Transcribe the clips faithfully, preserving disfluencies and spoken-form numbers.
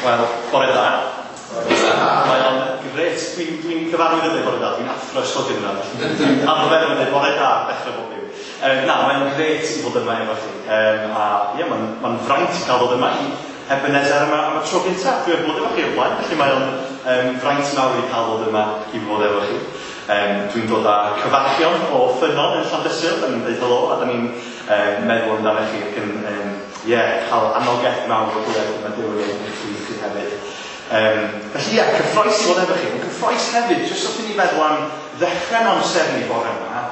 Wel, bore da. Bore da. Mae o'n grêt. Dwi'n dwi gyfarwydd yn dweud bore da. Dwi'n athro ysgol yna. Dwi'n arfer yn dweud bore da dechrau bob dim. Um, na, mae'n grêt i fod yma efo chi. Um, a ie, mae'n ma fraint i cael fod yma i Ebenezer yma am y tro gyntaf. Dwi wedi bod efo chi o'r blaen, felly mae o'n um, fraint mawr i cael fod yma i fod efo chi. Um, dwi'n dod â cyfarchion o Ffynnon yn Llandysul, da ni'n dweud helo, a da ni'n um, meddwl amdano chi ac yn um, yeah, cael anogaeth mawr o glywed mae Duw yn ei chi chi hefyd. Um, felly ie, yeah, cyffroes i fod efo chi, ond cyffroes hefyd, jyst wrth i ni feddwl am ddechrau'n amser ni bore yma,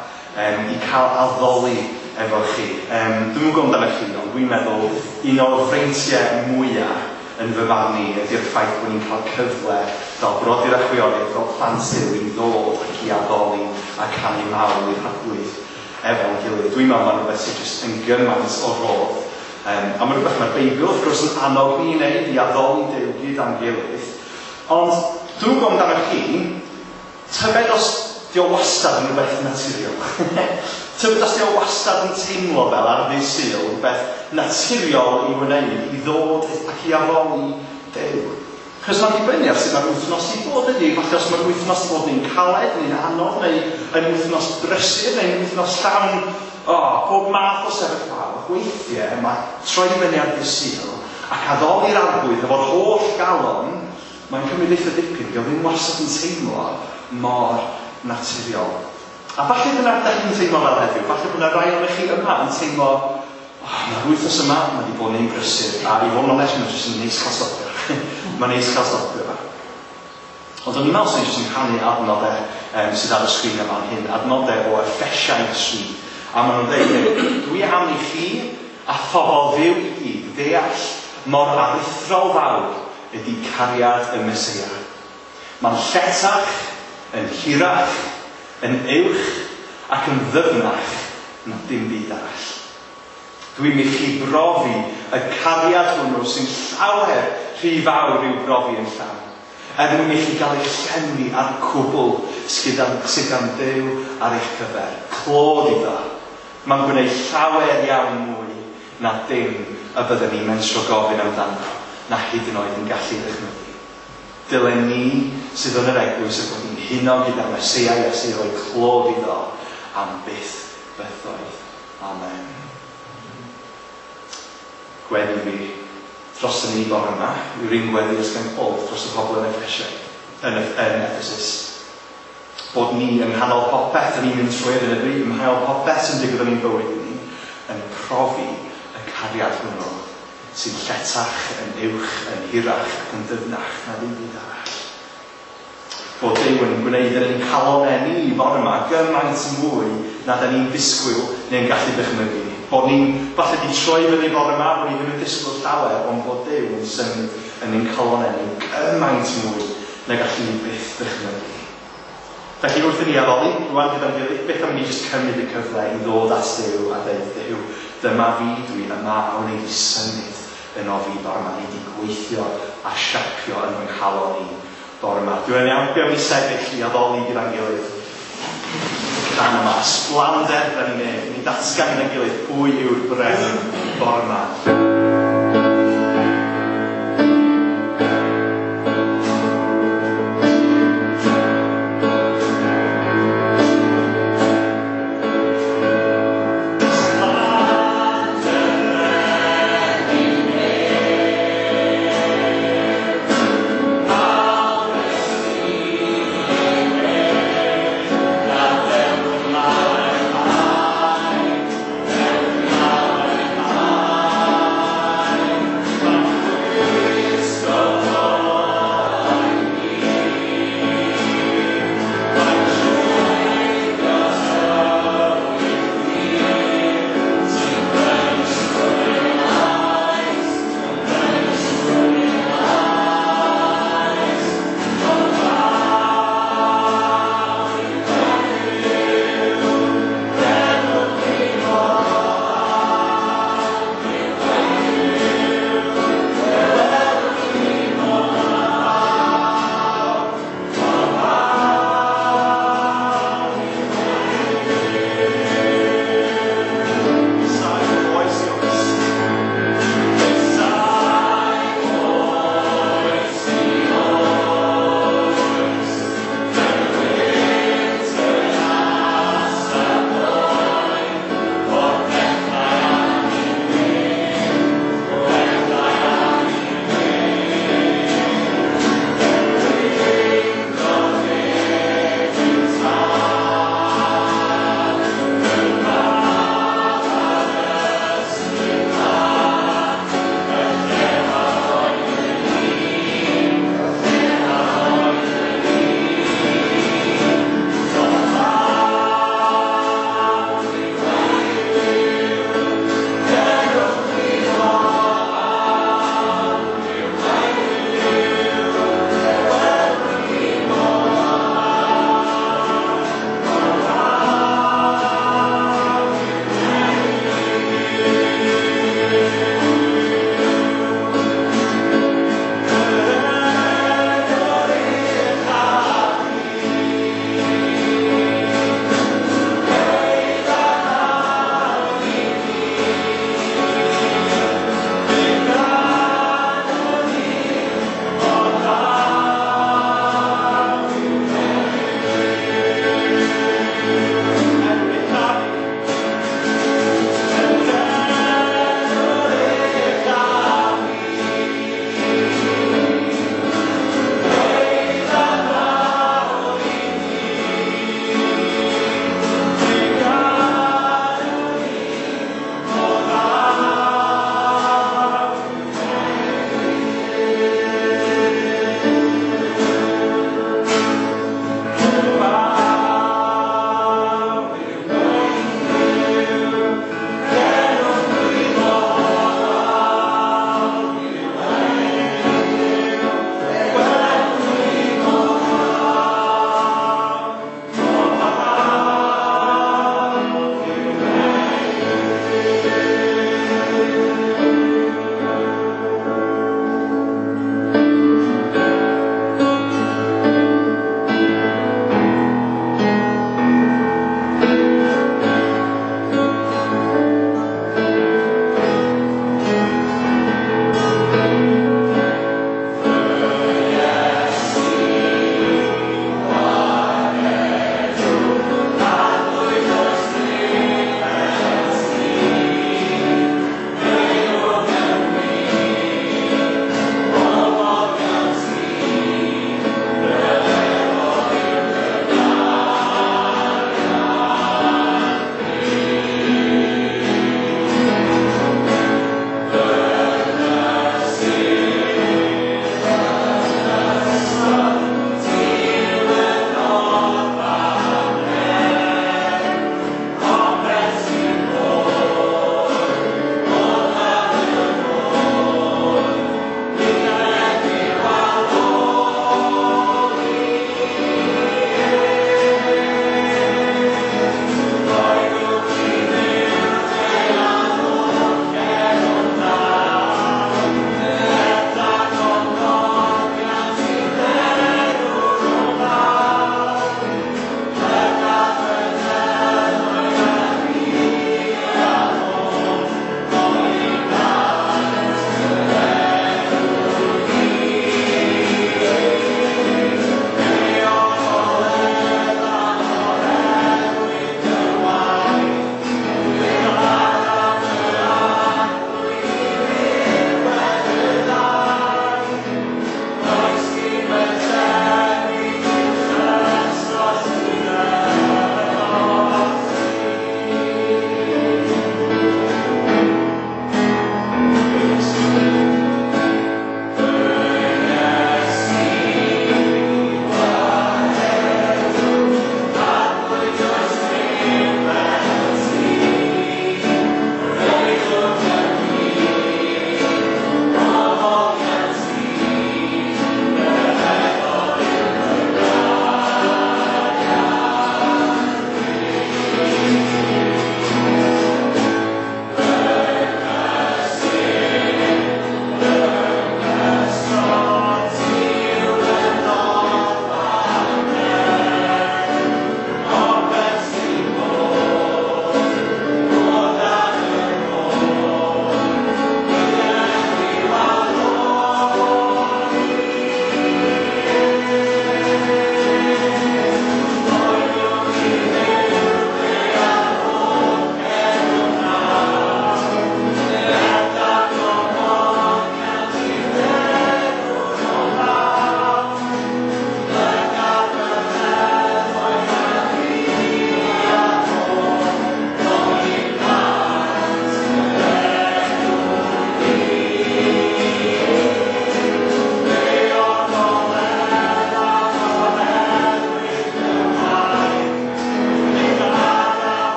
um, i cael addoli efo chi. Um, dwi'm yn gwybod amdano chi, ond dwi'n meddwl un o'r freintiau mwyaf yn fy farn i ydy'r ffaith bod ni'n cael cyfle fel brodyr a chwiorydd, fel plant Duw i ddod ac i addoli a canu mawl i'r Arglwydd efo'n gilydd. Dwi'n meddwl mae'n rhywbeth sydd jyst yn gymaint o rodd. Um, a mae'n rhywbeth mae'r Beibl wrth gwrs yn annog ni i wneud, i addoli Duw gyda'n gilydd. Ond dwi'n gwybod amdano chi, tybed os di o wastad yn rhywbeth naturiol. Tybed os di o wastad yn teimlo fel ar ddydd Sul, rhywbeth naturiol i wneud, i ddod ac i addoli Duw. Chos mae'n dibynnu ar sut mae'r wythnos i bod ydy. Falle os mae'r wythnos i bod yn caled, neu'n anodd, neu yn wythnos brysur, neu'n wythnos llawn, oh, pob math o sefyllfaoedd. Weithiau mae troi fyny ar ddydd Sul ac addoli'r Arglwydd efo'r holl galon, mae'n cymryd eitha dipyn, dio ddim wastad yn teimlo mor naturiol. A falle dyna ydych chi'n teimlo fel heddiw, falle bod yna rai ohonoch chi yma yn teimlo, oh, mae'r wythnos yma, mae wedi bod yn un brysur, a i fod yn onest, mae'n jyst yn neis cael stopio. Mae'n neis cael stopio. Ond o'n i'n meddwl sy'n jyst yn rhannu adnodau um, sydd ar y sgrin yma hyn, adnodau o Effesiaid tri. A maen nhw'n dweud, dwi am i chi a phobl Dduw i gyd ddeall mor aruthrol fawr ydy cariad y Meseia. Mae'n lletach, yn hirach, yn uwch ac yn ddyfnach na dim byd arall. Dwi'n i chi brofi y cariad hwnnw sy'n llawer rhy fawr i'w brofi yn llawn, er mwyn i chi gael eich llenwi ar cwbl sydd gan Dduw ar eich cyfer. Clod iddo. Mae'n gwneud llawer iawn mwy na dim y byddwn ni'n mentro gofyn amdano, na hyd yn oed yn gallu ddychmygu. Dylen ni sydd yn yr eglwys y bod ni'n huno gyda'r Meseia Iesu roi clod iddo am byth bythoedd. Amen. Gweddi fi dros y ni bore yma yw'r un gweddi ys gan Paul dros y pobl yn Effesiaid, yn, yn Ephesus. Bod ni yng nghanol popeth yn ni'n mynd trwy ar hyn o bryd, yng nghanol popeth sy'n digwydd yn ein bywyd ni, yn profi y cariad hwnnw sy'n lletach, yn uwch, yn hirach ac yn dyfnach na ddim byd arall. Bod Duw yn gwneud yn ein calonnau ni bore yma gymaint mwy na da ni'n disgwyl neu'n gallu dychmygu. Bod ni'n falle di troi fyny bore yma, bod ni ddim yn disgwyl llawer, ond bod Duw yn symud yn ein calonnau ni gymaint mwy na gallu ni byth dychmygu. Felly wrth i ni addoli, rwan gyda'n gilydd, beth am ni jyst cymryd y cyfle i ddod at Duw a dweud, Duw, dyma fi, dwi yma, a wneud i symud yn o fi bore yma, wneud i gweithio a siapio yn fy nghalon i bore yma. Dwi'n iawn, be am ni sefyll i addoli gyda'n gilydd. Rhan yma, ysblander da ni'n neud, ni ddatgan gyda'n gilydd pwy yw'r brenin bore yma. Amen.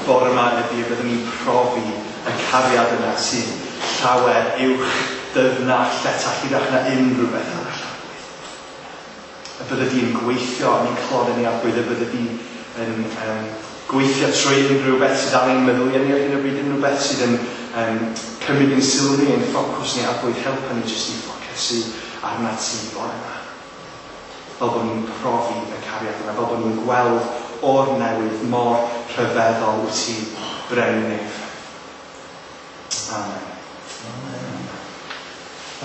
bore yma ydy y byddwn ni'n profi y cariad yna sydd llawer uwch, dyfnach, lletach, hirach na unrhyw beth arall, Arglwydd. Y bydde di'n gweithio yn ein calonnau ni, Arglwydd, y bydde di yn um, gweithio trwy unrhyw beth sydd ar ein meddyliau ni ar hyn o bryd, unrhyw beth sydd yn um, cymryd ein sylw ni, ein ffocws ni, Arglwydd, helpa ni jyst i ffocysu arna ti bore yma. Fel bod ni'n profi y cariad yna, fel bod ni'n gweld o'r newydd mor rhyfeddol wyt ti, Brenin Nef. Amen. Amen.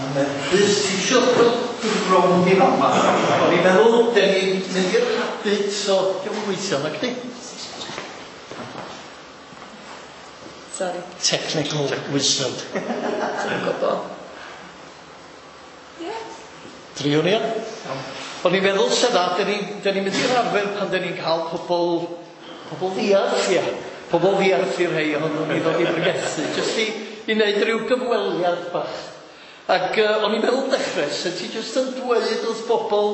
Amen. Rhys, ti eisiau dod rownd i fama? O'n i'n meddwl, den ni'n mynd i'r habit, so diolch yn gweithio, nag di? Sorry. Technical wizard. Dwi'n gwybod. Ie. Driwn ni. O'n i'n meddwl sydd dda, dyn ni'n ni mynd i'r arfer pan dyn ni'n cael pobl, pobl ddiarth, ia. Pobl ddiarth i'r rhai ohonyn ni ddod i bregethu, jyst i, i wneud rhyw gyfweliad bach. Ac uh, o'n i'n meddwl dechrau, sut ti jyst yn dweud wrth bobl,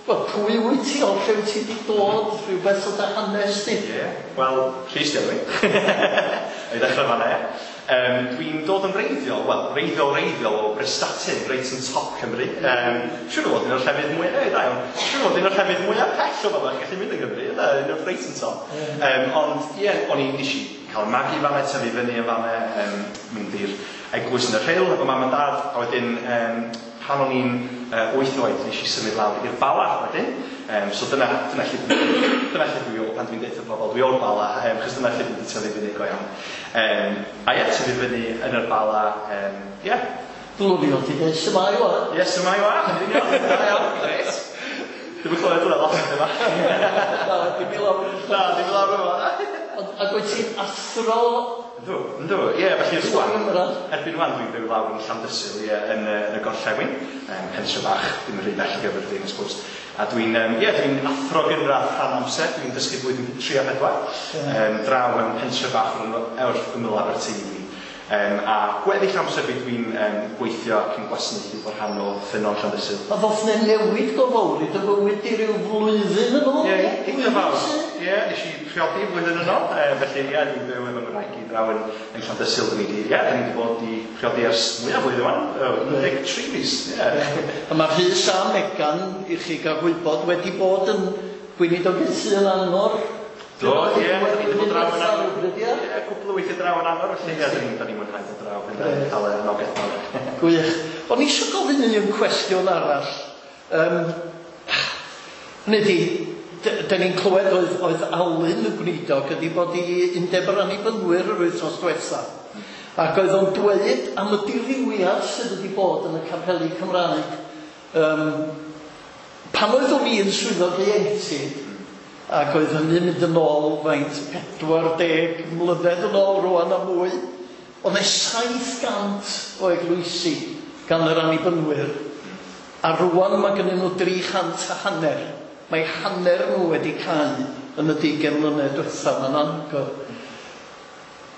wel, pwy wyt ti, o lle wyt ti wedi dod, rhywbeth o dy hanes di? Ie, yeah. Wel, Rhys di enw i. I ddechrau fan'na, ie. Um, dwi'n dod yn wreiddiol, wel, wreiddiol wreiddiol o Brestatyn, reit yn top Cymru. Um, siŵr o fod un o'r llefydd mwyaf, e, da iawn, siŵr o fod un o'r llefydd mwyaf pell o fan'na, gallu mynd yn Gymru, yna, un o'r reit yn top. Um, ond, ie, yeah, o'n i, nes i cael magu fan'na, tyfu fyny yn fan'na, um, mynd i'r eglwys yn y Rhyl efo mam a dad, a wedyn, um, pan o'n i'n uh, wyth oed, nes i symud lawr i'r Bala wedyn. Um, so dyna, dyna lle dyna lle dwi o, pan dwi'n deutha pobl, dwi o'r Bala, um, chos dyna lle dwi wedi tyfu fyny go iawn. Um, a ie, tyfu fyny yn yr Bala, um, ie. Yeah. Dylwn i fod i dweud, shwmae wa? Ie, shwmae wa, yn union, da iawn, grêt. Dwi'm yn clywed hwnna lot yma. Na, dim i lawr. Na, dim i lawr yma. Ac wyt ti'n athro? Yndw, yndw, ie, felly rwan, erbyn rwan dwi'n byw lawr yn Llandysul, ie, yn, yn y gorllewin, um, pentre bach, ddim yn rhy bell o Gaerfyrddin, I suppose. A dwi'n, um, ie, dwi'n athro gynradd rhan amser, dwi'n dysgu blwyddyn tri a pedwar, um, draw mewn pentre bach o'r ymyl Aberteifi. Um, a gweddill amser fi dwi'n um, gweithio ac yn gwasanaethu fel rhan o Ffynnon Llandysul. A ddoth 'na newid go fawr i dy fywyd di ryw flwyddyn yn ôl? Ie, eitha fawr. Ie, nes i priodi flwyddyn yn ôl, e, felly ie, dwi'n byw efo ngwraig i draw yn, yn Llandysul. Dyn ni di, ie, dyn ni wedi bod i priodi ers mwyaf flwyddyn wan, un deg tri mis, ie. A mae Rhys a Megan, i chi gael gwybod, wedi bod yn gweinidogaethu yn Angor. Do, ie, da ni wedi bod draw yn Angor. Ie, cwpl o weithiau draw yn Angor, felly ie, da ni'n mwynhau dod draw, yn cael anogaeth mawr. Gwych. O'n i eisiau gofyn un cwestiwn arall. Um, hynny ydi, da ni'n clywed oedd, oedd Alun y gweinidog ydi bod i Undeb yr Annibynwyr yr wythnos diwetha. Ac oedd o'n dweud am y dirywiad sydd wedi bod yn y capeli Cymraeg. Um, pan oeddwn i yn swyddog ieuenctid, ac oedd hynny'n mynd yn ôl faint pedwar deg mlynedd yn ôl rwan a mwy, oedd e saith gant o eglwysi gan yr Annibynwyr, a rwan mae gennyn nhw dri chant a hanner. Mae hanner nhw wedi cau yn y deugain mlynedd diwethaf, mae'n anhygoel.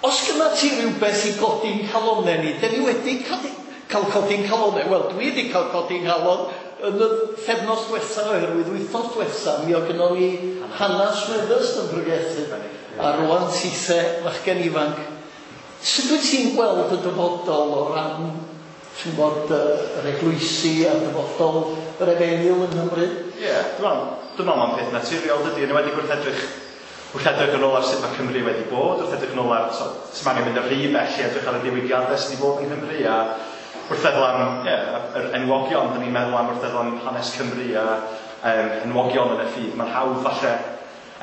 Os gyda ti rhywbeth i godi'n calonnau ni, dyn ni wedi cael codi'n calonnau, wel dwi wedi cael codi'n calon yn y pythefnos diwetha, oherwydd wythnos diwetha, mi oedd gynnon ni Hannah Smithers yn pregethu, a rwan tithe fachgen ifanc. Sut wyt ti'n gweld y dyfodol o ran, ti'n gwybod, yr eglwysi a dyfodol yr efengyl yng Nghymru? Ie, yeah, dwi'n meddwl mae'n peth naturiol dydy, yn enwedig wrth edrych, wrth edrych yn ôl ar sut mae Cymru wedi bod, wrth edrych yn ôl ar, so, sy'n angen mynd yn rhy bell i edrych ar y diwygiadau sydd wedi bod yng Nghymru, a wrth feddwl am yeah, yr enwogion, dyn ni'n meddwl am wrth feddwl am hanes Cymru a um, enwogion yn y ffydd, mae'n hawdd falle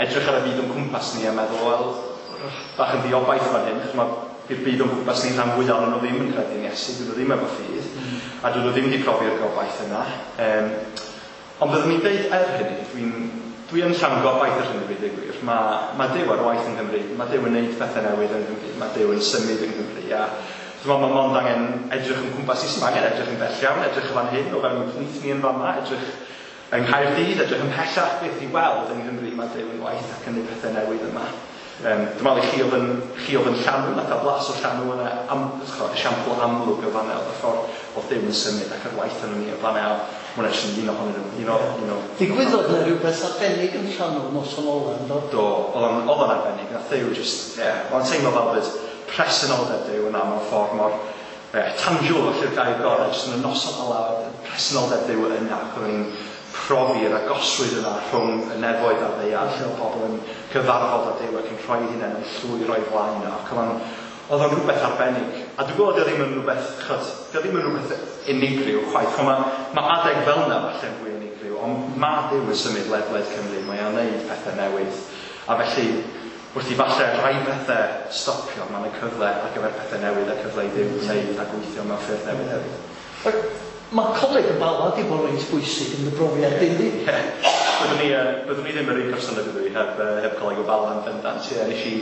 edrych ar y byd o'n cwmpas ni a meddwl, wel, bach yn ddiobaith fan hyn, chos mae'r byd o'n cwmpas ni rhan fwyaf ohonyn nhw ddim yn credu yn Iesu, dyn nhw ddim efo ffydd, mm. a dyn nhw ddim wedi profi'r gobaith yna. Um, ond byddwn ni'n deud er hynny, dwi'n dwi yn llawn gobaith ar hyn o bryd, i gwir. Mae, mae Duw ar waith yng Nghymru, mae Duw yn neud pethau newydd yng Nghymru, mae Duw yn symud yng Nghymru, a dwi'n meddwl mae mond angen edrych yn cwmpas i, sy'n angen edrych yn bell iawn, edrych yn fan hyn, o fewn ein plith ni yn fama, edrych yng Nghaerdydd, edrych yn pellach beth i weld yng Nghymru, mae Duw yn waith ac yn neud pethau newydd yma. Um, dwi'n meddwl i chi oedd yn, chi oedd yn llanw, nath a blas o llanw yna, am, esiampl amlwg o fanna, oedd y ffordd oedd Duw yn symud ac yr waith yn ni o fanna, hwnna jyst yn un ohonyn nhw, un o, un o. Digwyddodd na rhywbeth arbennig yn llanw noson ola, ynddo? Do, oedd o'n arbennig, nath Duw jyst, ie, yeah, oedd o'n teimlo fel bod presenoldeb Duw yna mewn ffordd mor yeah, tangible, felly'r gair gorau, jyst yn y noson ola, presenoldeb Duw yna, ac oedden ni'n profi'r agosrwydd yna rhwng y nefoedd a'r ddaear, lle oedd pobl yn cyfarfod â Duw ac yn rhoi hunain yn llwyr o'i flaen nhw, ac oedd o'n oedd o'n rhywbeth arbennig. A dwi'n gwybod ddim yn rhywbeth, chod, dio ddim yn rhywbeth unigryw chwaith. Mae ma adeg fel yna falle'n fwy unigryw, ond mae Duw yn symud ledled Cymru, mae o'n neud pethau newydd. A felly, wrth i falle rhai pethau stopio, mae yna cyfle ar gyfer pethau newydd a cyfle i Dduw wneud a gweithio mewn ffyrdd newydd hefyd. Mae Coleg y Bala di bod reit bwysig yn y brofiad, yndi? Ie. Byddwn ni, uh, byddwn ni ddim yr un person ydw i heb, uh, heb Coleg y Bala yn bendant. Ie, nes i,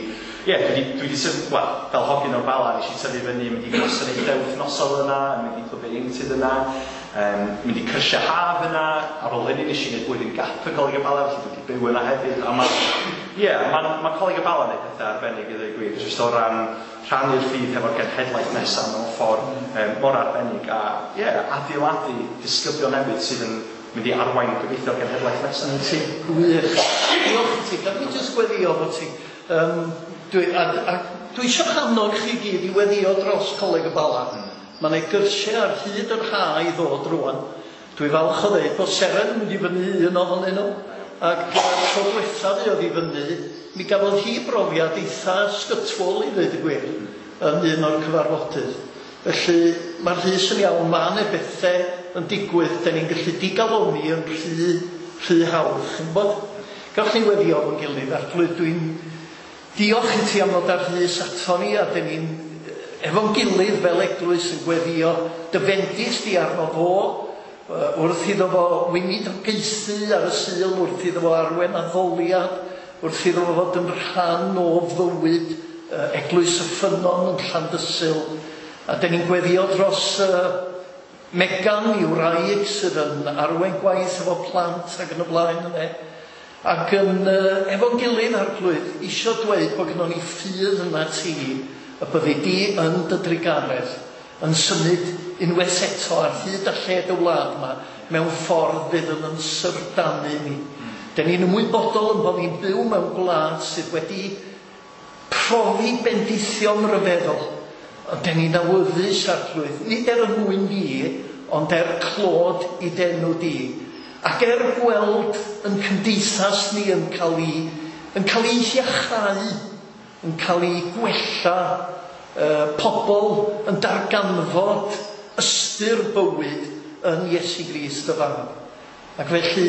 ie, dwi dwi di syf, wel, fel hogyn o'r Bala, nes i tyfu fyny, mynd i gwasanaethau wythnosol yna, mynd i clwb ieuenctid yna, um, mynd i cyrsiau haf yna. Ar ôl hynny nes i wneud blwyddyn gap y Coleg y Bala, felly dwi wedi byw yna hefyd. A mae, ie, mae ma Coleg y Bala yn neud pethau arbennig i ddweud gwir, jyst o ran rhannu'r ffydd hefo'r genhedlaeth nesaf mewn ffordd um, mor arbennig a, ie, adeiladu disgyblion newydd sydd yn mynd i arwain gobeithio'r genhedlaeth nesaf. Yn ti, wych. Diolch i ti. Gad mi jyst gweddio fo ti. Um, dwi, a, a, dwi eisiau annog chi gyd i weddio dros Coleg y Bala. Mm. Mae yna gyrsiau ar hyd yr ha i ddod rwan. Dwi falch o ddeud bod Seren yn mynd i fyny un ohonyn nhw. Ac tro diwethaf oedd i fyny, mi gafodd hi brofiad eitha sgytwol i ddweud y gwir yn un o'r cyfarfodydd. Felly mae'r Rhys yn iawn, mae yna bethau yn digwydd, da ni'n gallu digaloni yn rhy, rhy hawdd. Chi'n gwybod? Gallwn ni weddio efo'n gilydd, Arglwydd, dwi'n diolch i ti am ddod â'r Rhys ato ni, a da ni'n efo'n gilydd fel eglwys yn gweddio dy fendith di arno fo, wrth iddo fo weinidogaethu ar y Sul, wrth iddo fo arwen addoliad, wrth iddo fo fod yn rhan o fywyd Eglwys y Ffynnon yn Llandysul. A da ni'n gweddio dros uh, Megan i'w wraig sydd yn arwain gwaith efo plant ac yn y blaen yna. Ac yn uh, efo'n gilydd Arglwydd, isio dweud bod gynnon ni ffydd yna ti, y byddi di yn dy drugaredd, yn symud unwaith eto ar hyd a lled y wlad yma, mewn ffordd fydd yn yn syfrdanu ni. Da ni'n ymwybodol yn bod ni'n byw mewn gwlad sydd wedi profi bendithion rhyfeddol. Ond da ni'n awyddus, Arglwydd, nid er y mwyn ni, ond er clod i d'enw di. Ac er gweld yn cymdeithas ni yn cael ei, yn cael ei iachau, yn cael ei gwella, uh, pobl yn darganfod ystyr bywyd yn Iesu Grist y Fab. Ac felly,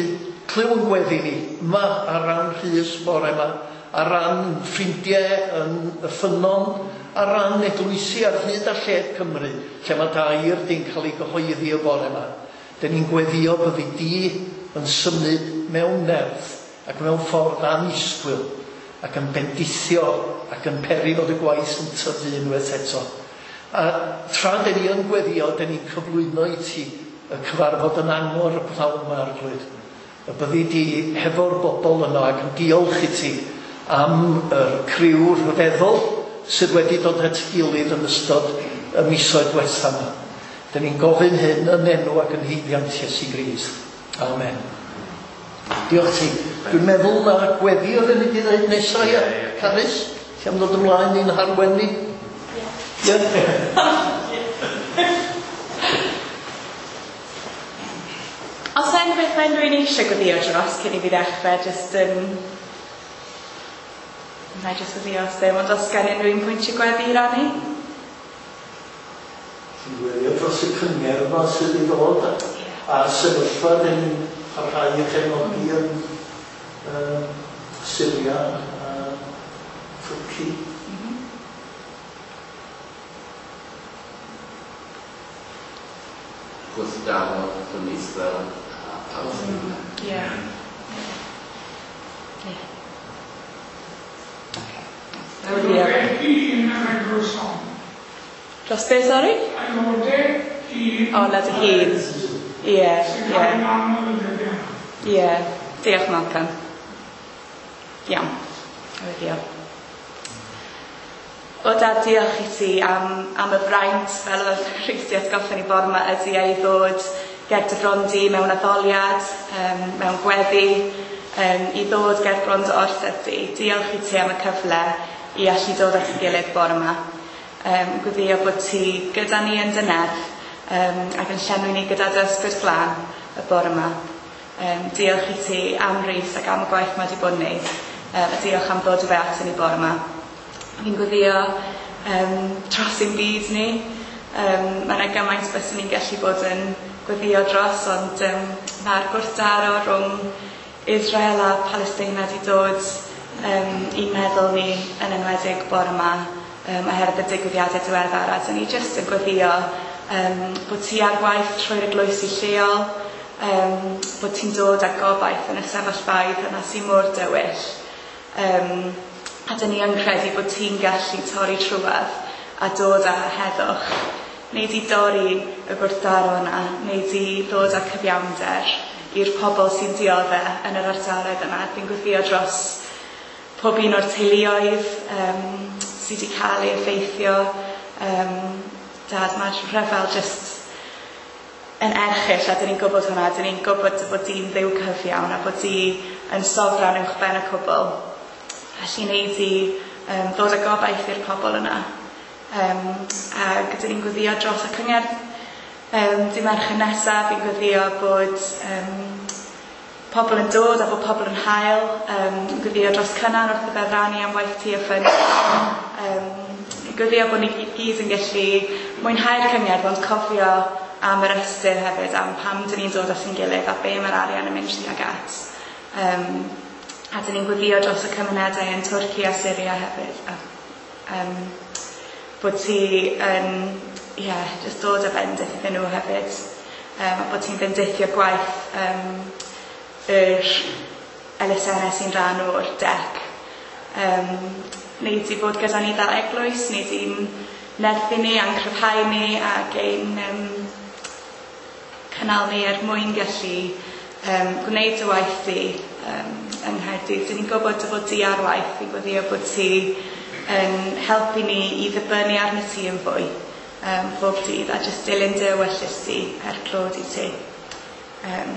clyw yn gweddi ni, yma ar ran Rhys bore yma, ar ran ffrindiau yn y Ffynnon, ar ran eglwysi ar hyd a lled Cymru, lle mae dair di'n cael ei gyhoeddi y bore yma. Dyn ni'n gweddio byddi di yn symud mewn nerth ac mewn ffordd annisgwyl ac yn bendithio ac yn peri fod y gwaith yn tyfu unwaith eto. A tra dyn ni yn gweddio, dyn ni'n cyflwyno i ti y cyfarfod yn angor y pnawn yma, Arglwydd. Y byddi di hefo'r bobl yno ac yn diolch i ti am yr criw rhyfeddol sydd wedi dod at gilydd yn ystod y misoedd diwetha yma. Dyn ni'n gofyn hyn yn enw ac yn haeddiant Iesu Grist. Amen. Diolch ti. Dwi'n meddwl na gweddi oedden ni wedi dweud nesaf, ia. Carys, ti am ddod ymlaen i'n harwen ni? Ie. Os yna unrhyw beth mae unrhyw un eisiau gweddio dros cyn i fi ddechrau, jyst um, na i jyst gweddio os ddim, ond os gen unrhyw un pwynt i gweddi i rannu? Ti'n gweddio dros y cyngerdd yma sydd i ddod a, a'r sefyllfa dyn ni'n parhau i chefnogi yn uh, Syria a Twrci. Mm-hmm. Gwrthdaro rhwng Israel a Palestina. Ie. Ie. Aelodau hun yn eglwys hon. Dros be, sori? Aelodau hun. O, led y hun. Ie, Sy'n ie. cael ei anodd yn dyddiau yma. Ie. Diolch, Malcolm. Iawn. Diolch. O Dad, diolch i ti am, am y fraint, fel oedd Rhys 'di atgoffa ni bore yma, ydy ei ddod ger dy fron di mewn addoliad, um, mewn gweddi, um, i ddod ger bron dy orsedd di. Diolch i ti am y cyfle i allu dod at y gilydd bore yma. Um, gweddio bod ti gyda ni yn dy nerth um, ac yn llenwi ni gyda dy ysbryd glân y bore yma. Um, diolch i ti am Rhys ac am y gwaith mae wedi bod yn wneud. Um, a diolch am ddod i fe at ni bore yma. Fi'n gweddio um, dros ein byd ni. Um, mae yna gymaint byswn ni'n gallu bod yn gweddio dros, ond um, mae'r gwrthdaro rhwng Israel a Palestina wedi dod um, i'n meddwl ni yn enwedig bore yma um, oherwydd y digwyddiadau diweddar. A dyn ni jyst yn gweddio um, bod ti ar waith trwy'r eglwysi lleol, um, bod ti'n dod â gobaith yn y sefyllfaoedd yna sy'n mor dywyll. Um, a dyn ni yn credu bod ti'n gallu torri trwadd a dod â heddwch. Neu di dorri y gwrthdaro yna, neu di ddod â cyfiawnder i'r pobl sy'n dioddef yn yr ardaloedd yna. Fi'n gweddio dros pob un o'r teuluoedd um, sydd wedi cael ei effeithio. Um, Dad, mae'r rhyfel jyst yn erchyll, a dyn ni'n gwybod hwnna, dyn ni'n gwybod bod di'n Dduw cyfiawn a bod di yn sofran uwch ben y cwbl. Felly neu di um, ddod â gobaith i'r pobl yna. Um, a dyn ni'n gweddio dros y cyngerdd um, dydd Mercher nesaf, fi'n gweddio bod um, pobl yn dod a bod pobl yn hael. Um, gweddio dros Cynan wrth y feddrannu am waith ti a ffyn. Um, gweddio bod ni gyd yn gallu mwynhau'r cyngerdd, ond cofio am yr ystyr hefyd, am pam dyn ni'n dod at ein gilydd a be mae'r arian yn mynd tuag at. Um, a dyn ni'n gweddio dros y cymunedau yn Twrci a Syria hefyd. A, um, bod ti yn, yeah, just dod â bendith iddyn nhw hefyd. Um, a bod ti'n bendithio gwaith um, yr elusennau sy'n rhan o'r dec. Um, neu di fod gyda ni fel eglwys, neu di'n nerthu ni a'n cryfhau ni ac ein um, cynnal ni er mwyn gallu um, gwneud y waith di um, yng Nghaerdydd. Dyn ni'n gwybod dy fod di ar waith, fi'n gweddio bod ti yn helpu ni i ddibynnu arno ti yn fwy um, bob dydd a jyst dilyn dy ewyllys di er clod i ti. Um,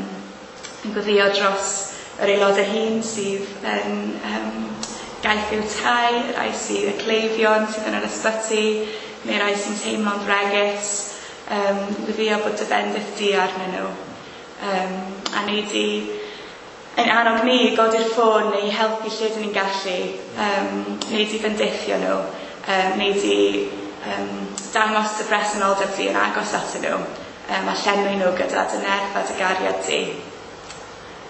yn gweddio dros yr aelodau hyn sydd yn um, gaeth i'w tai, y rhai sydd y cleifion sydd yn yr ysbyty, neu rhai sy'n teimlo'n fregus. Um, gweddio bod dy bendith di arnyn nhw. Um, a neu di yn annog ni i godi'r ffôn neu i helpu lle dyn ni'n gallu, um, neu di bendithio nhw, um, neu di um, dangos dy bresenoldeb di yn agos atyn nhw, um, a llenwi nhw gyda dy nerth a dy gariad di.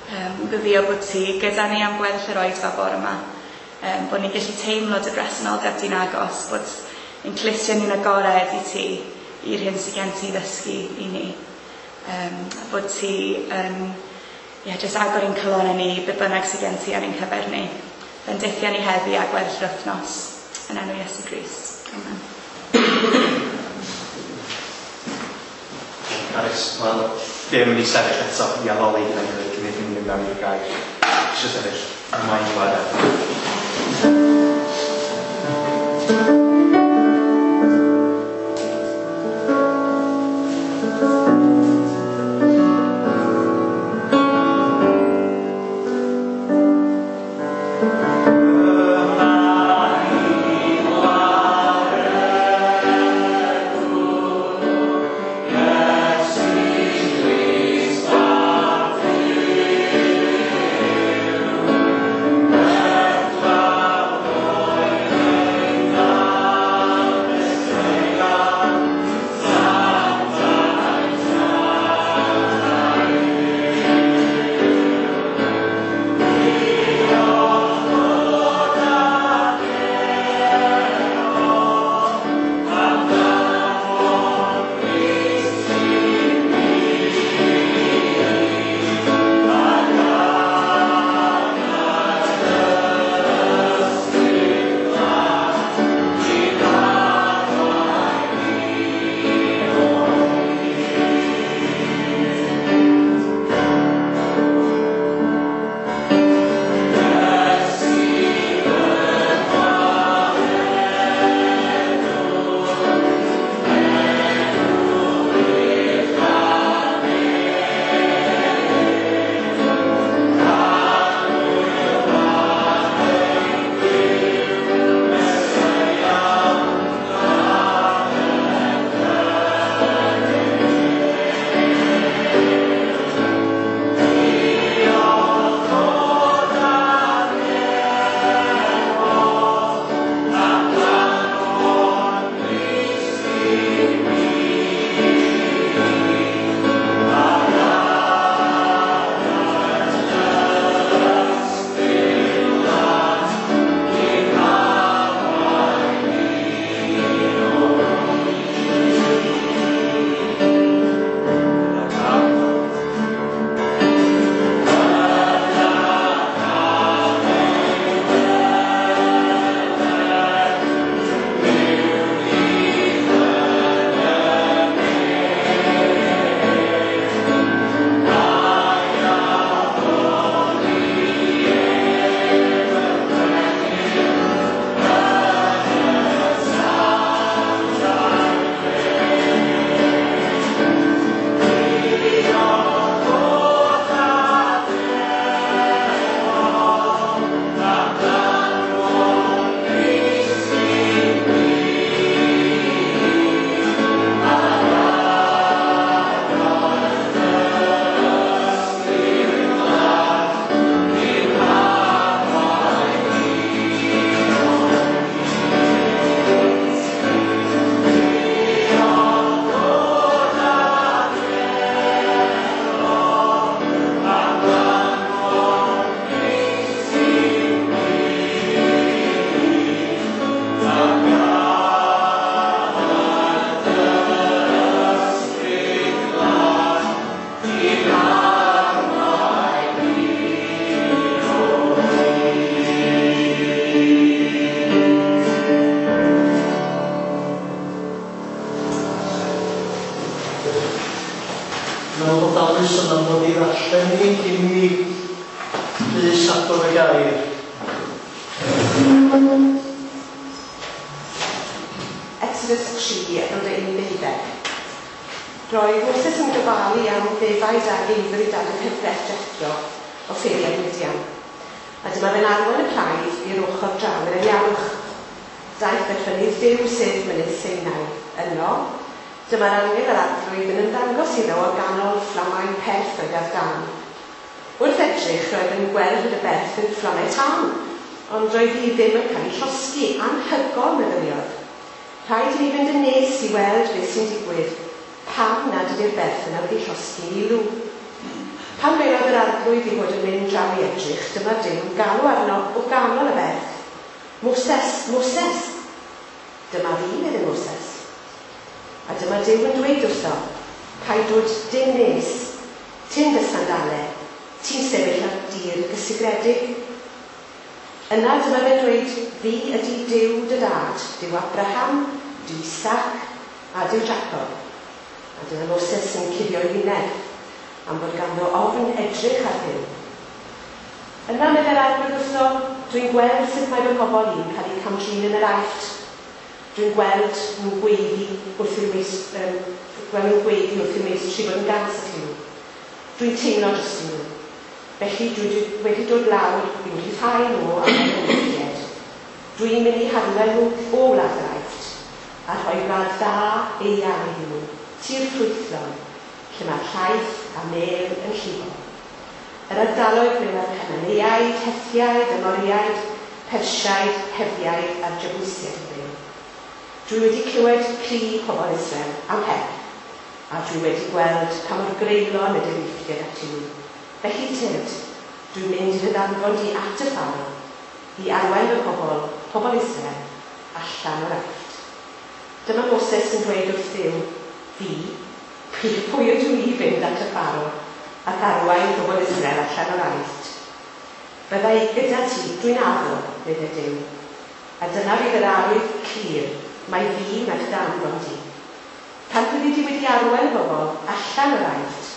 Um, gweddio bod ti gyda ni am gweddill yr oedfa bore yma, um, bod ni'n gallu teimlo dy bresenoldeb di'n agos, bod ein clustiau ni'n agored i ti, i'r hyn sydd gen ti ddysgu i ni. Um, a bod ti yn yeah, just agor ein calonnau ni, be bynnag sydd gen ti ar ein cyfer ni. Bendithia ni heddi a gweddill yr wythnos. Yn enw Iesu Grist. Amen. Carys, wel, ddim yn mynd i sefyll eto i addoli gyda'n gilydd cyn i ni mynd mewn i'r gair. Eisiau sefyll, mae'n wlad. meddwl bod Alison am ddod i ddarllen ni cyn i Rhys agor y gair. Exodus tri, adnodau un i ddeuddeg. Roedd Moses yn gofalu am ddefaid a geifr ei dad yng nghyfraith Jethro o ffeiriad Midian. A dyma fe'n arwain y praidd i'r ochr draw i'r anialwch. Daeth at fynydd Duw, sef mynydd Sinai. Yno, dyma'r angel yr Arglwydd yn ymddangos iddo o ganol fflamau perth oedd ar dân. Wrth edrych, roedd yn gweld fod y berth yn fflamau tân, ond roedd hi ddim yn cael ei llosgi. Anhygoel, meddyliodd. Rhaid i ni fynd yn nes i weld beth sy'n digwydd. Pam nad ydy'r berth yna wedi llosgi i lw? Pan welodd yr Arglwydd ei fod yn mynd draw i edrych, dyma Duw yn galw arno o ganol y berth. Moses, Moses! Dyma fi, meddai Moses. A dyma Duw yn dweud wrtho, paid dod dim nes, tyn dy sandalau, ti'n sefyll ar dir gysegredig. Yna dyma fe'n dweud, fi ydy Duw dy dad, Duw Abraham, Duw Isaac a Duw Jacob. A dyma Moses yn cuddio'i wyneb, am fod ganddo ofn edrych ar Dduw. Yna meddai'r Arglwydd wrtho, dwi'n gweld sut mae fy mhobl i'n cael eu camdrin yn yr Aifft. Dwi'n gweld nhw'n gweiddi wrth i'r meist, um, gweld nhw'n gweiddi wrth i'r meistri fod yn gas atyn nhw. Dwi'n teimlo drostyn nhw. Felly dwi wedi dod lawr i'w rhyddhau nhw am eu hymwneud. Dwi'n mynd i harwain nhw o wlad yr Aifft a rhoi gwlad dda eang iddyn nhw, tir ffrwythlon, lle mae'r llaeth a mêl yn llifo. Yr ardaloedd ble mae'r Cananeaid, Hethiaid, Amoriaid, Persiaid, Hefiaid a'r Jebusiaid yn byw. Dwi wedi clywed cri pobl Israel am help, a dwi wedi gweld pa mor greulon ydy'r Eifftiaid atyn nhw. Felly tyrd, dwi'n mynd i dy ddanfon di at y Pharaoh, i arwain fy pobl, pobl Israel, allan o'r Aifft. Dyma Moses yn dweud wrth Dduw, fi, pwy ydw i fynd at y Pharaoh ac arwain pobl Israel allan o'r Aifft? Bydda i gyda ti, dwi'n addo, meddai Duw. A dyna fydd yr arwydd clir, mai fi wnaeth dy anfon di. Pan fyddi di wedi arwain y bobl allan o'r Aifft,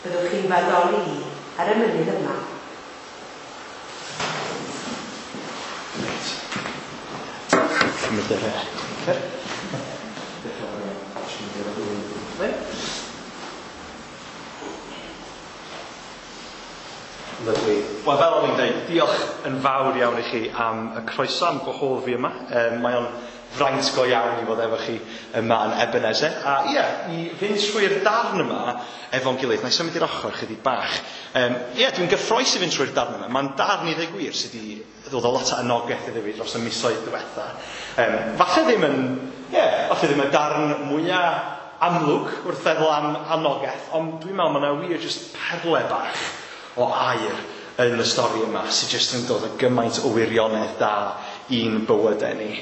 byddwch chi'n f'addoli i ar y mynydd yma. Reit. Cymryd yr clicker. Diolch yn fawr iawn. Lyfli. Wel, fel o'n i'n dweud, diolch yn fawr iawn i chi am y croeso, am gwahodd fi yma. Um, mae o'n fraint go iawn i fod efo chi yma yn Ebenezer. A ie, yeah, i fynd trwy'r darn yma efo'n gilydd. Na i symud i'r ochr chydig bach. Ie, um, yeah, dwi'n gyffrous i fynd trwy'r darn yma. Mae'n darn i ddweud gwir sydd wedi ddod â lot o anogaeth iddo fi dros y misoedd diwetha. Um, falle ddim yn, ie, yeah, falle ddim y darn mwyaf amlwg wrth feddwl am anogaeth, ond dwi'n meddwl mae yna wir jyst perle bach o air yn y stori yma sydd jyst yn dod â gymaint o wirionedd da i'n bywydau ni.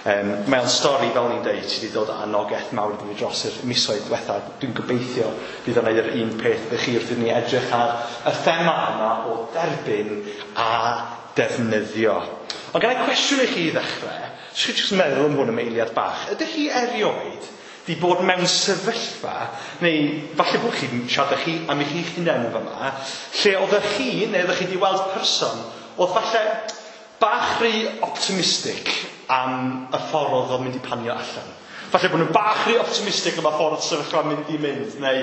Um, mae o'n stori, fel ni'n dweud, sydd wedi dod â anogaeth mawr iddo fi dros yr misoedd diwetha. Dwi'n gobeithio bydd o'n neud yr un peth iddo chi wrth i ni edrych ar y thema yma o derbyn a defnyddio. Ond gan i cwestiwn i chi i ddechrau, jyst chi jyst meddwl am hwn am eiliad bach. Ydych chi erioed di bod mewn sefyllfa, neu falle bod chi'n siarad â chi am eich hunain yn fama, lle oeddech chi, neu oeddech chi wedi weld person, oedd falle bach rhy optimistic am y ffordd oedd o'n mynd i panio allan. Falle bod nhw'n bach rhy optimistic am y ffordd sefyllfa'n mynd i mynd, neu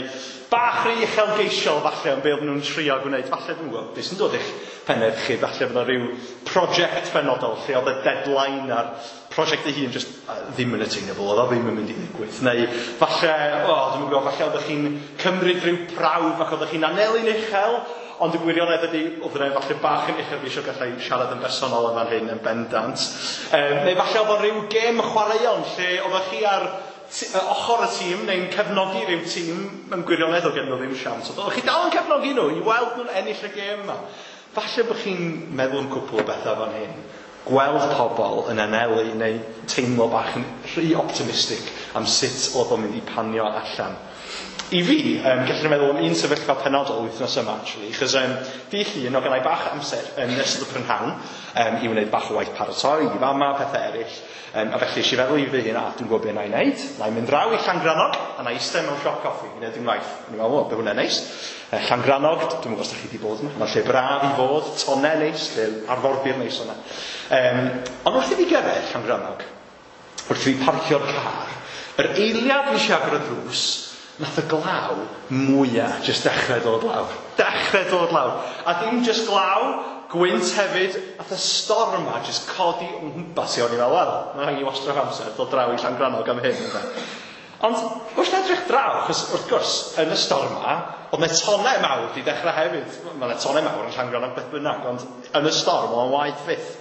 bach rhy uchelgeisiol falle am be oedden nhw'n trio gwneud. Falle dwi'n gwybod beth sy'n dod i'ch pennau chi, falle bod yna rhyw prosiect penodol lle oedd y deadline a'r prosiect ei hun just ddim yn attainable, oedd o ddim yn mynd i ddigwydd. Neu falle, o, dwi'n gwybod, falle oeddech chi'n cymryd rhyw prawf ac oeddech chi'n anelu'n uchel, ond y gwirionedd ydy, oedd yna falle bach yn uchelgeisiol, gallai siarad yn bersonol yn fan hyn yn bendant. Um, neu falle oedd o'n rhyw gêm chwaraeon lle oeddech chi ar ochr y tîm neu'n cefnogi rhyw tîm mewn gwirionedd oedd gen nhw ddim siawns. Oeddech chi dal yn cefnogi nhw i weld nhw'n ennill y gêm yma. Falle bod chi'n meddwl am cwpl o bethau fan hyn. Gweld pobl yn anelu neu teimlo bach yn rhy optimistic am sut oedd o'n mynd i panio allan. I fi, um, gallwn meddwl am un sefyllfa penodol wythnos yma, actually, chos um, dydd Llun, oedd gennai bach amser yn um, ystod y prynhawn um, i wneud bach o waith paratoi, i fama, pethau eraill. Um, a felly, eisiau feddwl i fy hun, a dwi'n gwybod beth na i wneud. Na i mynd draw i Llangrannog, a na i eistedd mewn siop coffi, i wneud dim waith. Ni'n meddwl, o, be hwnna'n neis. Uh, Llangrannog, dwi'n gwybod os da chi wedi bod yma. Mae'n lle braf i fod, tonnau neis, lle arfordir neis yna. Um, ond wrth i fi gyrraedd Llangrannog, wrth i fi parcio'r car, yr eiliad nes i agor y drws, nath y glaw mwyaf jyst dechrau dod lawr. Dechrau dod lawr. A dim jyst glaw, gwynt hefyd, nath y storm yma jyst codi o'n nghwmpas i. O'n i'n meddwl, wel, mae rhaid i wastraff amser dod draw i Llangrannog am hyn. Ynde. Ond wrth edrych draw, achos wrth gwrs, yn y storm yma, oedd 'na tonnau mawr di dechrau hefyd. Mae 'na tonnau mawr yn Llangrannog beth bynnag, ond yn y storm oedd o'n waeth fyth.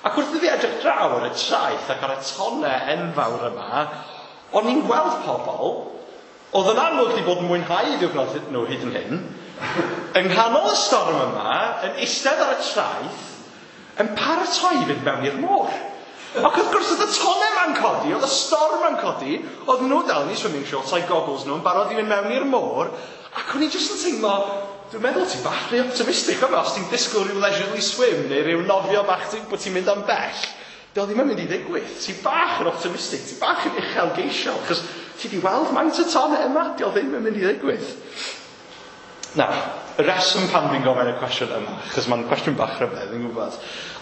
Ac wrth i fi edrych draw ar y traeth ac ar y tonnau enfawr yma, o'n i'n gweld pobl oedd yn amlwg wedi bod yn mwynhau eu diwrnod nhw hyd yn hyn, yng nghanol y storm yma, yn eistedd ar y traeth, yn paratoi i fynd mewn i'r môr. Ac wrth gwrs oedd y tonnau ma'n codi, oedd y storm ma'n codi, oedd nhw dal yn eu swimming shorts a'i goggles nhw yn barod i fynd mewn i'r môr, ac o'n i jyst yn teimlo, dwi'n meddwl ti bach rhy optimistic yma, os ti'n disgwyl rhyw leisurely swim neu rhyw nofio bach ti'n, bod ti'n mynd am bell, dio ddim yn mynd i ddigwydd. Ti bach yn optimistic, ti bach yn uchelgeisiol, achos ti di weld maint y tonnau yma, dio ddim yn mynd i ddigwydd. Na, y reswm pan dwi'n gofyn y cwestiwn yma, achos mae'n cwestiwn bach rhyfedd, dwi'n gwybod,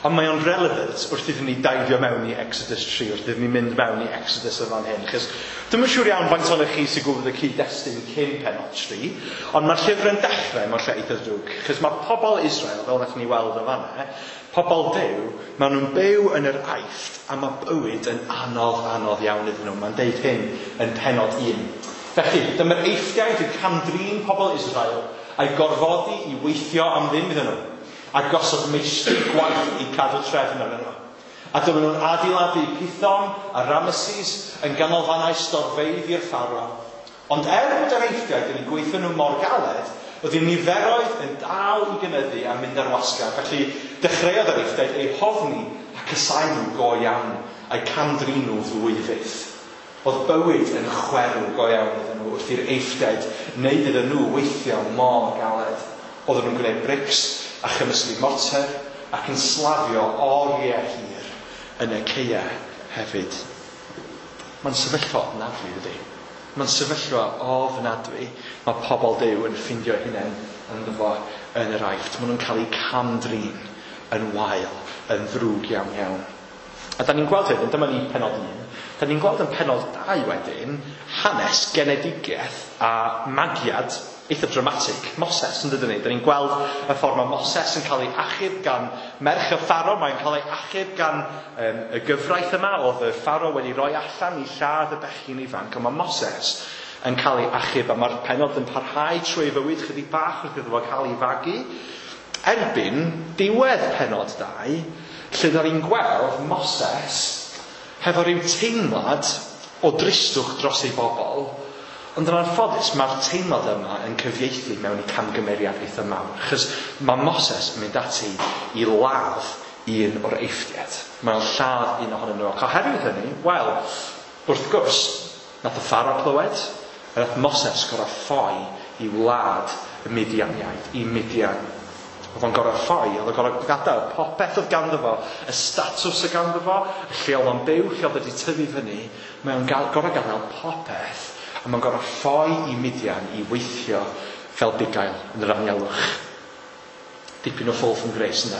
ond mae o'n relevant wrth iddyn ni daifio mewn i Exodus tri, wrth iddyn ni mynd mewn i Exodus yn fan hyn, achos dwi'm yn siŵr iawn faint ohonoch chi sy'n gwybod y cyd-destun cyn pennod tri, ond mae'r llyfr yn dechrau mewn lle eitha drwg, achos mae pobl Israel, fel wnaethon ni weld yn fanna, pobl Duw, maen nhw'n byw yn yr Aifft, a mae bywyd yn anodd, anodd iawn iddyn nhw. Mae'n deud hyn yn pennod un. Felly, dyma'r Eifftiaid yn cam-drin pobl Israel a'i gorfodi i weithio am ddim iddyn nhw, a gosod meistri gwaith i cadw trefn arnyn nhw. A dyma nhw'n adeiladu Pithom a Ramesses yn ganolfannau storfeydd i'r Pharaoh. Ond er bod yr Eifftiaid yn eu gweithio nhw mor galed, oedd eu niferoedd yn dal i gynyddu a mynd ar wasgar. Felly dechreuodd yr Eifftiaid eu hofni a casáu nhw go iawn, a'i cam-drin nhw fwy fyth. Oedd bywyd yn chwerw go iawn iddyn nhw wrth i'r Eifftiaid wneud iddyn nhw weithio mor galed. Oedden nhw'n gwneud brics a chymysgu morter ac yn slafio oriau hir yn y caeau hefyd. Mae'n sefyllfa ofnadwy, ydy. Mae'n sefyllfa ofnadwy. Mae pobl Duw yn ffindio hunain ynddo fo yn yr Aifft. Maen nhw'n cael eu cam-drin yn wael, yn ddrwg iawn iawn. A da ni'n gweld wedyn, dyma ni pennod un, da ni'n gweld yn pennod dau wedyn, hanes genedigaeth a magiad eitha dramatic Moses, yn dydyn ni. Da ni'n gweld y ffordd mae Moses yn cael ei achub gan merch y Pharaoh, mae'n cael ei achub gan um, y gyfraith yma, oedd y Pharaoh wedi rhoi allan i lladd y bechgyn ifanc, ond mae Moses yn cael ei achub, a mae'r pennod yn parhau trwy ei fywyd chydig bach wrth iddo fo cael ei fagu. Erbyn diwedd pennod dau, lle da ni'n gweld Moses hefo rhyw teimlad o dristwch dros ei bobl, ond yn anffodus mae'r teimlad yma yn cyfieithu mewn i camgymeriad eitha mawr, achos mae Moses yn mynd ati i ladd un o'r Eifftiaid. Mae'n lladd un ohonyn nhw. Ac oherwydd hynny, wel, wrth gwrs, nath y Pharaoh clywed, a nath Moses gorau ffoi i wlad y Midianiaid, i Midian. Oedd o'n gorau ffoi, oedd o'n gorau gadael popeth oedd ganddo fo, y statws oedd ganddo fo, y lle oedd o'n byw, lle oedd wedi tyfu fyny, mae o'n gorau gadael popeth, a mae'n gorau ffoi i Midian i weithio fel bugail yn yr anialwch. Dipyn o fall from grace yna.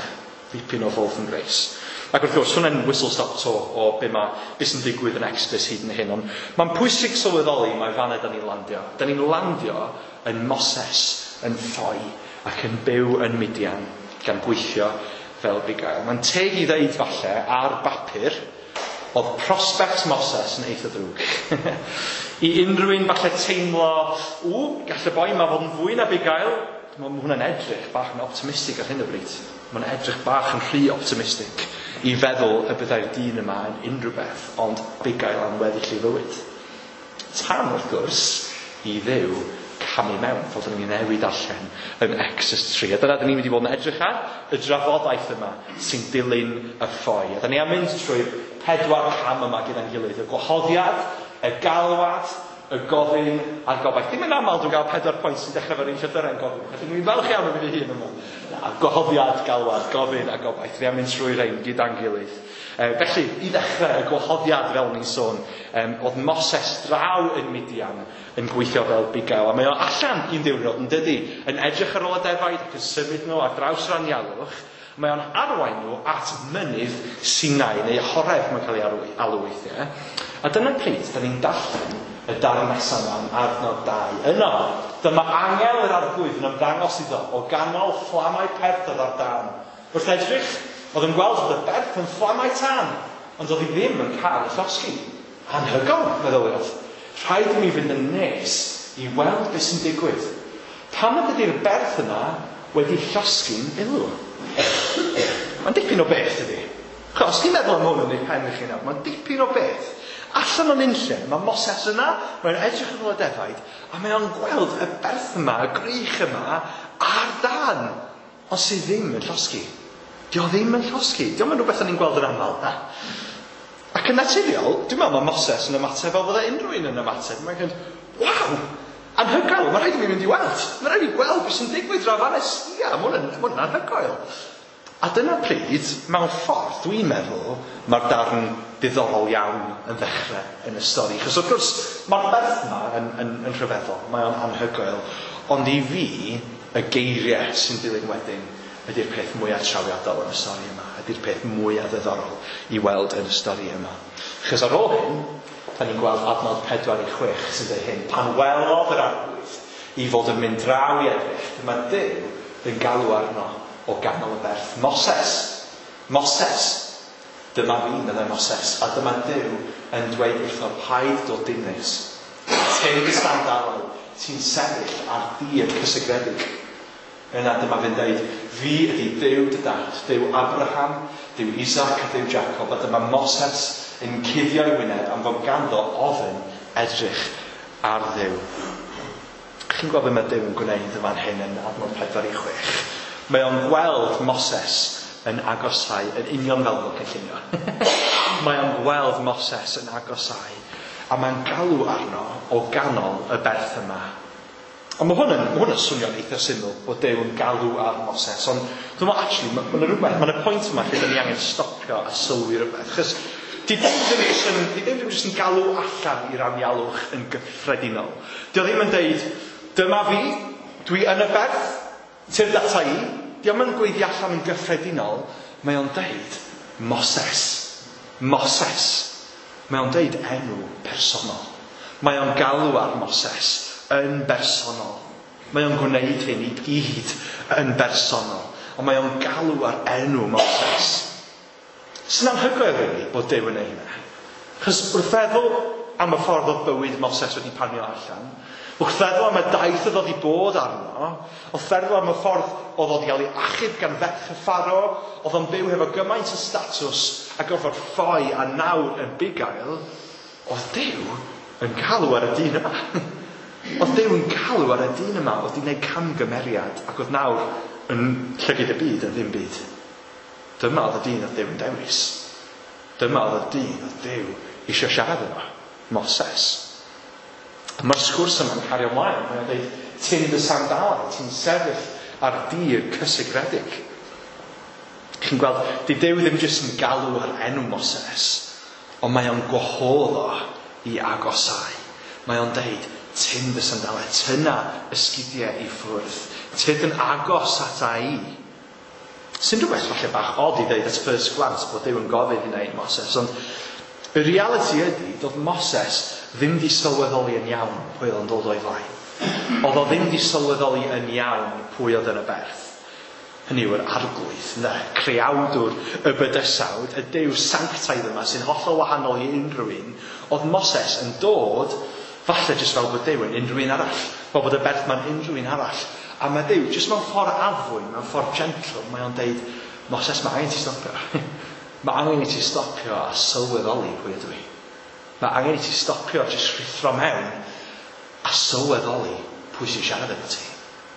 Dipyn o fall from grace. Ac wrth gwrs, hwnna'n whistle-stop tour o be, ma, be sy'n digwydd yn Exodus hyd yn hyn. Ond mae'n pwysig sylweddoli mae fanna da ni'n landio. Da ni'n landio yn Moses, yn ffoi, ac yn byw yn Midian, gan gweithio fel bugail. Mae'n teg i ddeud falle, ar bapur, oedd prospect Moses yn eitha ddrwg. I unrhyw un falle teimlo, ww, gall y boi yma fod yn fwy na bugail. Mae hwnna'n edrych bach yn optimistig ar hyn o bryd. Mae'n edrych bach yn rhy optimistig i feddwl y byddai'r dyn yma yn unrhyw beth, ond bugail am weddill ei fywyd. Tan, wrth gwrs, i Dduw camu mewn, fel dyn ni'n newid allan yn Exodus tri. A dyna dyn ni'n mynd i fod yn edrych ar y drafodaeth yma sy'n dilyn y ffoi. A dyn ni am mynd trwy'r pedwar cam yma gyda'n gilydd. Y gwahoddiad, Y galwad, y gofyn a'r gobaith. Dim yn aml dwi'n cael pedwar pwynt sy'n dechrau efo'r un llythyren gofyn. Felly dwi'n falch iawn o fi fy hun yma. Na, gwahoddiad, galwad, gofyn a gobaith. Fi am mynd trwy rhain gyda'n gilydd. E, felly, i ddechrau, y gwahoddiad fel ni'n sôn, um, oedd Moses draw yn Midian yn gweithio fel bugail. A mae o allan un diwrnod yn dydi, yn edrych ar ôl y defaid ac yn symud nhw ar draws yr anialwch. Mae o'n arwain nhw at mynydd Sinai, neu Horeb mae'n cael ei alw, alw weithiau. A dyna pryd, da ni'n darllen y darn nesaf yma yn adnod dau. Yno, dyma angel yr arglwydd yn ymddangos iddo o ganol fflamau perth oedd ar dân. Wrth edrych, oedd yn gweld fod y berth yn fflamau tân, ond oedd hi ddim yn cael ei llosgi. Anhygoel, meddyliodd. Rhaid i mi fynd yn nes i weld beth sy'n digwydd. Pam nad ydy'r berth yna wedi llosgi'n ulw? Mae'n dipyn o beth, ydy. Chos, os chi'n meddwl am hwn yn eich pen chi nawr, mae'n dipyn o beth. Allan o'n unlle, mae Moses yna, mae'n edrych ar ôl y defaid, a mae o'n gweld y berth yma, y grych yma, ar dân, ond sydd ddim yn llosgi. Dio ddim yn llosgi. Dio'm yn rhywbeth o'n ni'n gweld yn aml, na. Ac yn naturiol, dwi'n meddwl mae Moses yn ymateb fel fydde unrhyw un yn ymateb. Mae'n mynd, waw, anhygoel, mae rhaid i mi fynd i weld. Mae rhaid i mi gweld beth sy'n digwydd draw fan Ia, mae hwn yn, ma hwn yn anhygoel. A dyna pryd, mewn ffordd, dwi'n meddwl, mae'r darn diddorol iawn yn ddechrau yn y stori. Chos wrth gwrs, mae'r berth yma yn, yn, yn rhyfeddol, mae o'n anhygoel. Ond i fi, y geiriau sy'n dilyn wedyn ydy'r peth mwyaf trawiadol yn y stori yma, ydy'r peth mwyaf ddiddorol i weld yn y stori yma. Chos ar ôl hyn, da ni'n gweld adnod pedwar i chwech sy'n dweud hyn. Pan welodd yr arglwydd i fod yn mynd draw i edrych, dyma Duw yn galw arno o ganol y berth. Moses, Moses, dyma fi, meddai Moses, a dyma Duw yn dweud wrtho, paid dod dim nes. Tyn dy sandalau, ti'n sefyll ar dir cysegredig. Yna dyma fe'n dweud, fi ydy Duw dy dad, Duw Abraham, Duw Isaac a Duw Jacob, a dyma Moses yn cuddio'i wyneb am fod ganddo ofn edrych ar Dduw. Chi'n gweld beth mae Duw yn gwneud yn fan hyn yn adnod pedwar i chwech. Mae o'n gweld Moses yn agosau, yn union fel nhw'n cynllunio. Mae o'n gweld Moses yn agosau, a mae'n galw arno o ganol y berth yma. Ond mae hwn yn, mae hwn yn swnio'n eitha syml bod Duw yn galw ar Moses, ond dwi'n meddwl, actually, mae yna rhywbeth, mae yna pwynt yma lle dyn ni angen stopio a sylwi rhywbeth. Chos di Duw ddim jyst yn, di Duw ddim jyst yn galw allan i'r anialwch yn gyffredinol. Di o ddim yn deud, dyma fi, dwi yn y berth, tyrd ata i. Di o'm yn gweiddi allan yn gyffredinol, mae o'n deud, Moses, Moses. Mae o'n deud enw personol. Mae o'n galw ar Moses yn bersonol. Mae o'n gwneud hyn i gyd yn bersonol. Ond mae o'n galw ar enw Moses. Sy'n anhygoel, really, bod Duw yn ei hynna. Chos wrth feddwl am y ffordd oedd bywyd Moses wedi panio allan, wrth feddwl am y daith oedd wedi bod arno, wrth feddwl am y ffordd oedd wedi cael ei achub gan ferch y Pharo, oedd o'n byw hefo gymaint o statws a gorfod ffoi a nawr yn bugail, oedd Duw yn galw ar y dyn yma. Oedd Duw yn galw ar y dyn yma, oedd wedi gwneud camgymeriad ac oedd nawr yn llygid y byd yn ddim byd. Dyma oedd y dyn oedd Duw yn dewis. Dyma oedd y dyn oedd Duw eisiau siarad efo, Moses. Mae'r sgwrs yma'n cario ymlaen. Mae'n dweud, tyn dy sandalau, ti'n sefyll ar dir cysegredig. Chi'n gweld, di Duw ddim jyst yn galw ar enw Moses, ond mae o'n gwahodd o i agosau. Mae o'n deud, tyn dy sandalau, tynna ysgidiau i ffwrdd, tyd yn agos ata i. Sy'n rhywbeth falle bach od i ddeud at first glance bod Duw yn gofyn hynna i Moses, ond y reality ydy, doedd Moses ddim di sylweddoli yn iawn pwy oedd yn dod o'i flaen. Oedd o ddim di sylweddoli yn iawn pwy oedd yn y berth. Hynny yw'r arglwydd, ne, creawdwr y bydysawd, y Duw sanctaidd yma sy'n hollol wahanol i unrhyw un. Oedd Moses yn dod, falle jyst fel bod Duw yn unrhyw un arall, fel bod y berth ma'n unrhyw un arall. A mae Duw, jyst mewn ffordd addfwyn, mewn ffordd gentle, mae o'n deud, Moses, mae angen ti stopio. Mae angen i ti stopio a sylweddoli pwy ydw i. Mae angen i ti stopio a jyst rhuthro mewn a sylweddoli pwy sy'n siarad efo ti.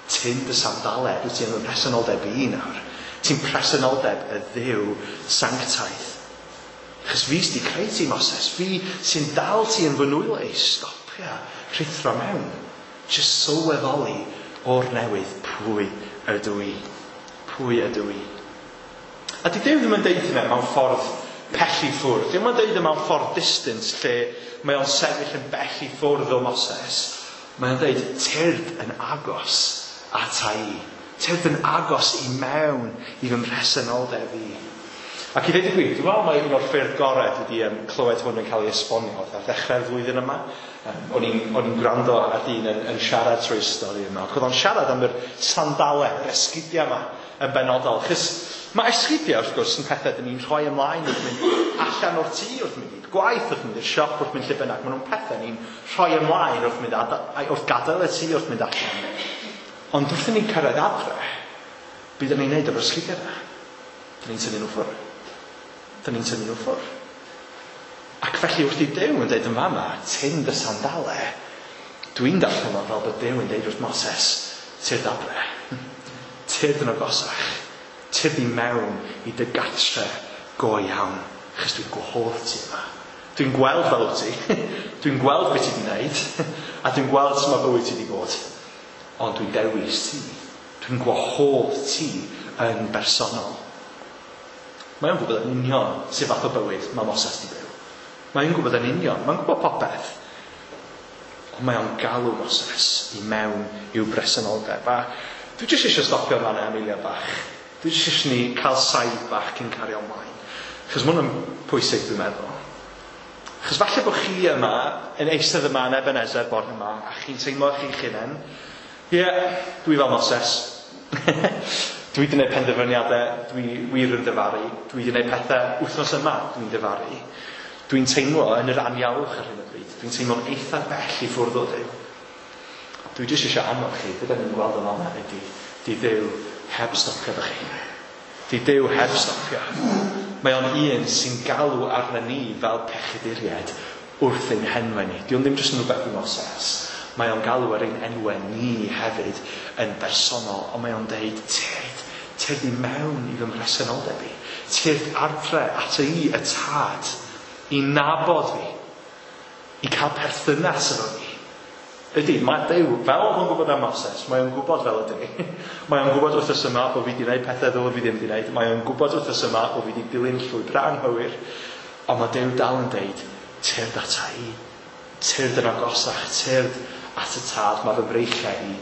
Tyn dy sandalau, dwi ti'n presenoldeb i nawr. Ti'n presenoldeb y Dduw sanctaidd. Chos fi sydd wedi creu ti, Moses. Fi sy'n dal ti yn fy nwylo i. Stopia, rhuthro mewn. Just sylweddoli o'r newydd pwy ydw i. Pwy ydw i. A di Duw ddim yn deud hynna mewn ffordd pell i ffwrdd. Dim yn deud e mewn ffordd distance lle mae o'n sefyll yn bell i ffwrdd o Moses. Mae o'n deud, tyrd yn agos ata i. Tyrd yn agos i mewn i fy mhresenoldeb i. Ac i ddweud y gwir, dwi'n meddwl mai un o'r ffyrdd gorau dwi wedi um, clywed hwn yn cael ei esbonio ar ddechrau'r flwyddyn yma. Um, o'n i'n, o'n i'n gwrando ar dyn yn, yn siarad trwy'r stori yma. Ac oedd o'n siarad am yr sandalau, yr esgidiau yma yn benodol. Chos mae esgidiau, wrth gwrs, yn pethau dyn ni'n rhoi ymlaen wrth mynd allan o'r tŷ, wrth mynd i'r gwaith, wrth mynd i'r siop, wrth mynd lle bynnag. Maen nhw'n pethau ni'n rhoi ymlaen wrth mynd ada, wrth gadael y tŷ, wrth mynd allan. Ond wrth i ni'n cyrraedd adre, be dyn ni'n neud efo'r esgidiau yna? Dyn ni'n tynnu nhw ffwrdd. Dyn ni'n tynnu nhw ffwrdd. Ac felly wrth i Duw yn deud yn fama, tyn dy sandalau, dwi'n darllen o fel bod Duw yn deud wrth Moses, tyrd adre, tyrd yn agosach, tyrd i mewn i dy gatre go iawn, achos dwi'n gwahodd ti yma. Dwi'n gweld fel wyt ti, dwi'n gweld beth ti wedi wneud, a dwi'n gweld sut mae bywyd ti wedi bod. Ond dwi'n dewis ti, dwi'n gwahodd ti yn bersonol. Mae o'n gwybod yn union sut fath o bywyd mae Moses wedi byw. Mae o'n gwybod yn union, mae'n gwybod popeth. Ond mae o'n galw Moses i mewn i'w bresenoldeb. A dwi jyst eisiau stopio fan am eiliad bach. Dwi jyst eisiau ni cael saib bach cyn cario ymlaen. Achos mae hwn yn pwysig, dwi'n meddwl. Achos falle bod chi yma, yn eistedd yma yn Ebenezer bore yma, a chi'n teimlo chi'ch hunain, ie, yeah, dwi fel Moses. Dwi wedi gwneud penderfyniadau, dwi wir yn difaru. Dwi wedi gwneud pethau wythnos yma, dwi'n difaru. Dwi'n teimlo yn yr anialwch ar hyn o bryd. Dwi'n teimlo'n eitha bell i ffwrdd o Dduw. Dwi jyst eisiau annog chi, be da ni'n gweld yn fan'na ydy, di Dduw heb stopio efo chi. Di Duw heb stopio. Mae o'n un sy'n galw arna ni fel pechaduriaid wrth ein henwau ni. Di o'n ddim jyst yn rhywbeth i Moses. Mae o'n galw ar ein enwau ni hefyd yn bersonol, ond mae o'n deud, tyrd, tyrd i mewn i fy mhresenoldeb i. Tyrd adre at i, y tad, i nabod fi, i cael perthynas efo fi. Ydy, mae Duw, fel oedd o'n gwybod am Moses, mae o'n gwybod fel ydy. Mae o'n gwybod wythnos yma bod fi wedi gwneud pethau ddylwn fi ddim wedi gwneud. Mae o'n gwybod wythnos yma bod fi wedi dilyn llwybr anghywir. Ond mae Duw dal yn deud, tyrd ata i, tyrd yn agosach, tyrd at y tad, mae fy mreichiau i